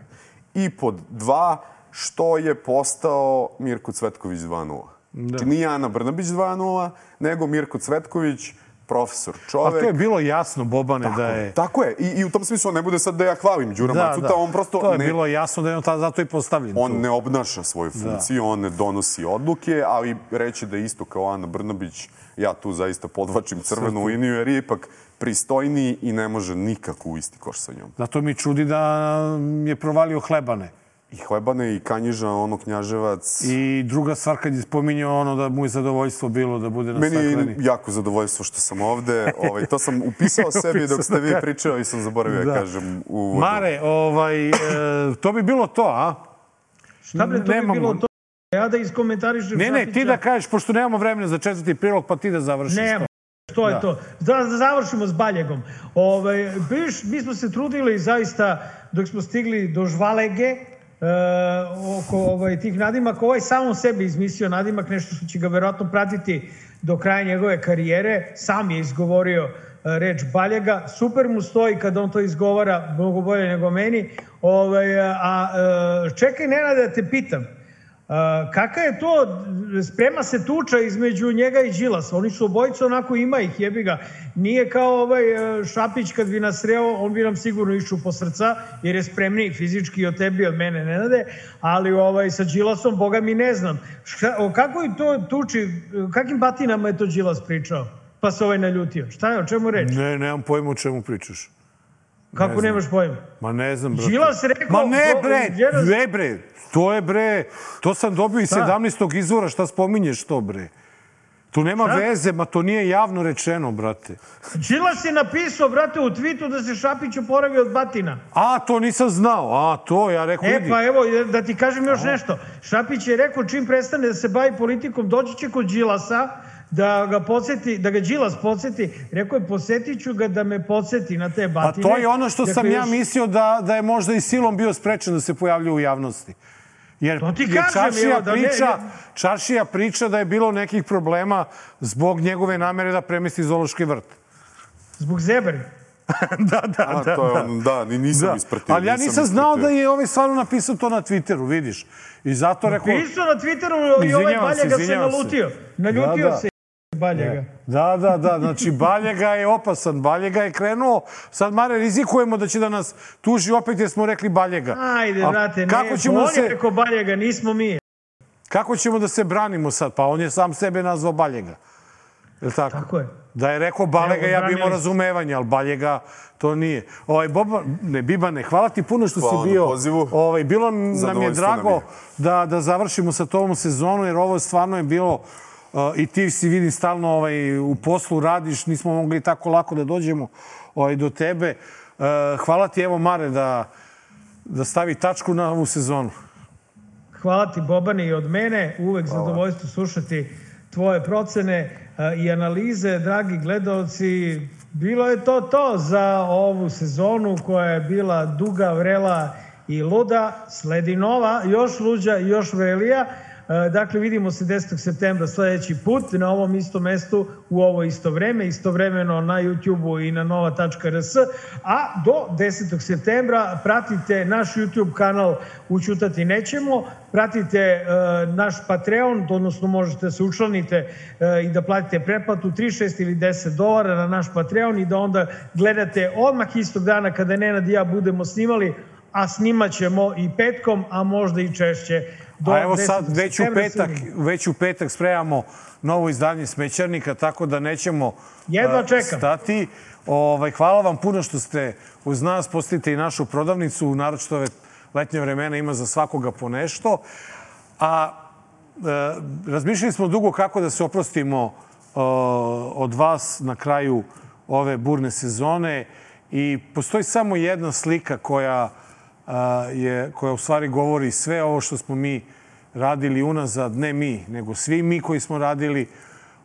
i pod 2 što je postao Mirko Cvetković 2.0. Znači nije Ana Brnabić 2.0, nego Mirko Cvetković, profesor, čovek. A to je bilo jasno, Bobane, da je... Tako je. I u tom smislu ne bude sad da ja hvalim Đura Macuta, on prosto... To je bilo jasno da je on zato i postavljen. On ne obnaša svoju funkciju, on ne donosi odluke, ali reći da je isto kao Ana Brnabić, ja tu zaista podvačim crvenu liniju, jer je ipak pristojniji i ne može nikako u isti koš sa njom. Zato mi čudi da je provalio Hlebane. I Hlebane, i Kanjiža, Knjaževac. I druga stvar kad je spominjao da mu je zadovoljstvo bilo da bude na stakleni. Meni je jako zadovoljstvo što sam ovde. To sam upisao sebi dok ste vi pričali i sam zaboravio da kažem uvodno. Mare, to bi bilo to, a? Šta bre, to bi bilo to? Ja da iskomentarišem... Ne, ti da kažeš, pošto nemamo vremena za 4. prilog, pa ti da završiš. što je to. Da završimo s Baljegom. Mi smo se trudili zaista dok smo stigli do Žvalege, oko tih nadimaka. Ovaj samom sebi izmislio nadimak, nešto što će ga verovatno pratiti do kraja njegove karijere. Sam je izgovorio reč Baljega. Super mu stoji kada on to izgovara, mnogo bolje nego meni. Čekaj, Nenade, da te pitam. Kaka je to, sprema se tuča između njega i Đilasa. Oni su obojica, onako ima ih, jebi ga. Nije kao Šapić kad bi nas sreo, on bi nam sigurno išao po srca, jer je spremniji fizički od tebi, od mene, Nenade. Ali sa Đilasom, boga mi ne znam. O kakvoj to tuči, kakim batinama je to Đilas pričao? Pa se naljutio. Šta je, o čemu reč? Ne, nemam pojma o čemu pričaš. Kako nemaš pojma? Ma ne znam, brate. Đilas rekao... Ma ne, bre, to je, bre, to sam dobio iz 17. izvora, šta spominješ to, bre? Tu nema veze, ma to nije javno rečeno, brate. Đilas je napisao, brate, u twitu da se Šapić oporavio od batina. A, to nisam znao, to ja rekao, vidi. Pa evo, da ti kažem još nešto. Šapić je rekao, čim prestane da se bavi politikom, doći će kod Đilasa, da ga Đilas podsjeti. Rekao je, posjetit ću ga da me podsjeti na te batine. Pa to je ono što sam ja mislio da je možda i silom bio sprečen da se pojavljuje u javnosti. Jer Čaršija priča da je bilo nekih problema zbog njegove namere da premesti zoološki vrt. Zbog zebre? Da, nisam ispratio. Ali ja nisam znao da je stvarno napisao to na Twitteru, vidiš. I zato rekao... Napisao na Twitteru i ovaj Baljega se nalutio. Naljutio se Baljega. Da, znači Baljega je opasan. Baljega je krenuo. Sad, Mare, rizikujemo da će da nas tuži opet jer smo rekli Baljega. Ajde, brate, on je rekao Baljega, nismo mi. Kako ćemo da se branimo sad? Pa on je sam sebe nazvao Baljega. Je li tako? Tako je. Da je rekao Baljega, ja bi imao razumevanje, ali Baljega to nije. Bibane, hvala ti puno što si bio. Bilo nam je drago da završimo sa tom sezonu, jer ovo stvarno je bilo, i ti si vidim stalno u poslu radiš, nismo mogli tako lako da dođemo do tebe. Hvala ti, evo Mare, da stavi tačku na ovu sezonu. Hvala ti, Bobane, i od mene. Uvek zadovoljstvo slušati tvoje procene i analize, dragi gledalci. Bilo je to za ovu sezonu koja je bila duga, vrela i luda. Sledi nova, još luđa i još vrelija. Dakle, vidimo se 10. septembra sledeći put na ovom istom mestu u ovo isto vreme, istovremeno na YouTube-u i na nova.rs. A do 10. septembra pratite naš YouTube kanal Ućutati nećemo, pratite naš Patreon, odnosno možete se učlanite i da platite pretplatu $3, $6 ili $10 na naš Patreon i da onda gledate odmah istog dana kada Nenad i ja budemo snimali, a snimat ćemo i petkom, a možda i češće. A evo sad, već u petak spremamo novo izdanje Smećarnika, tako da nećemo stati. Hvala vam puno što ste uz nas. Postavite i našu prodavnicu, naročito ove letnje vremena ima za svakoga po nešto. A razmišljali smo dugo kako da se oprostimo od vas na kraju ove burne sezone i postoji samo jedna slika koja u stvari govori sve ovo što smo mi radili unazad, ne mi, nego svi mi koji smo radili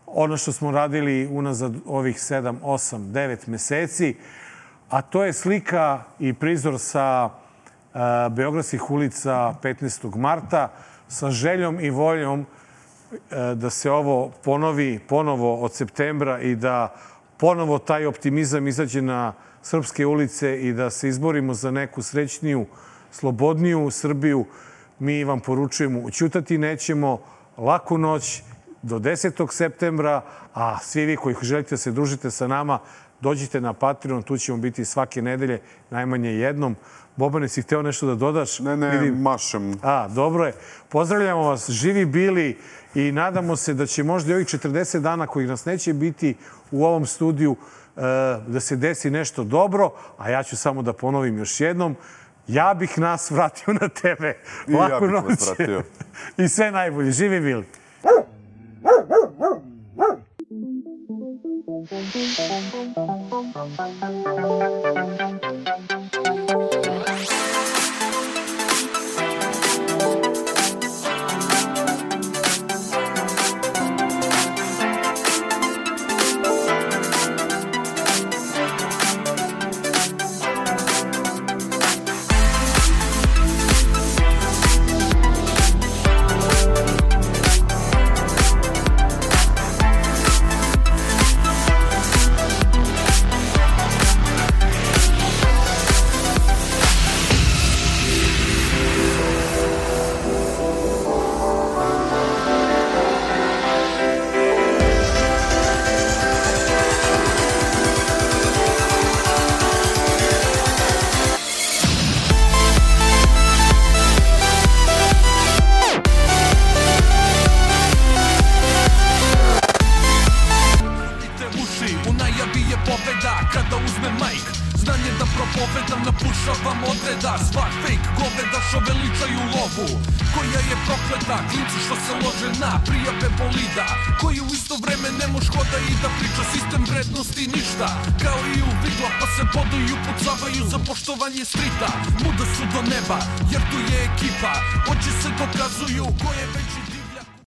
ono što smo radili unazad ovih 7, 8, 9 meseci, a to je slika i prizor sa beogradskih ulica 15. marta sa željom i voljom da se ovo ponovi ponovo od septembra i da ponovo taj optimizam izađe na srpske ulice i da se izborimo za neku srećniju, slobodniju Srbiju. Mi vam poručujemo, ućutati nećemo, laku noć do 10. septembra, a svi vi koji želite da se družite sa nama, dođite na Patreon, tu ćemo biti svake nedelje, najmanje jednom. Bobane, si hteo nešto da dodaš? Ne, mašem. Dobro je. Pozdravljamo vas, živi bili i nadamo se da će možda i ovih 40 dana kojih nas neće biti u ovom studiju da se desi nešto dobro, a ja ću samo da ponovim još jednom. Ja bih nas vratio na tebe. Laku noć. I ja bih vas vratio. I sve najbolje. Živi bili. Urušavam odreda, sva fake goveda što veličaju lovu, koja je prokleta, klinci što se lože na prijave bolida, koji u isto vreme ne moš hoda i da priča sistem vrednosti ništa, kao i u vidla pa se boduju i upucavaju za poštovanje strita, muda su do neba jer tu je ekipa, oči se dokazuju ko je veći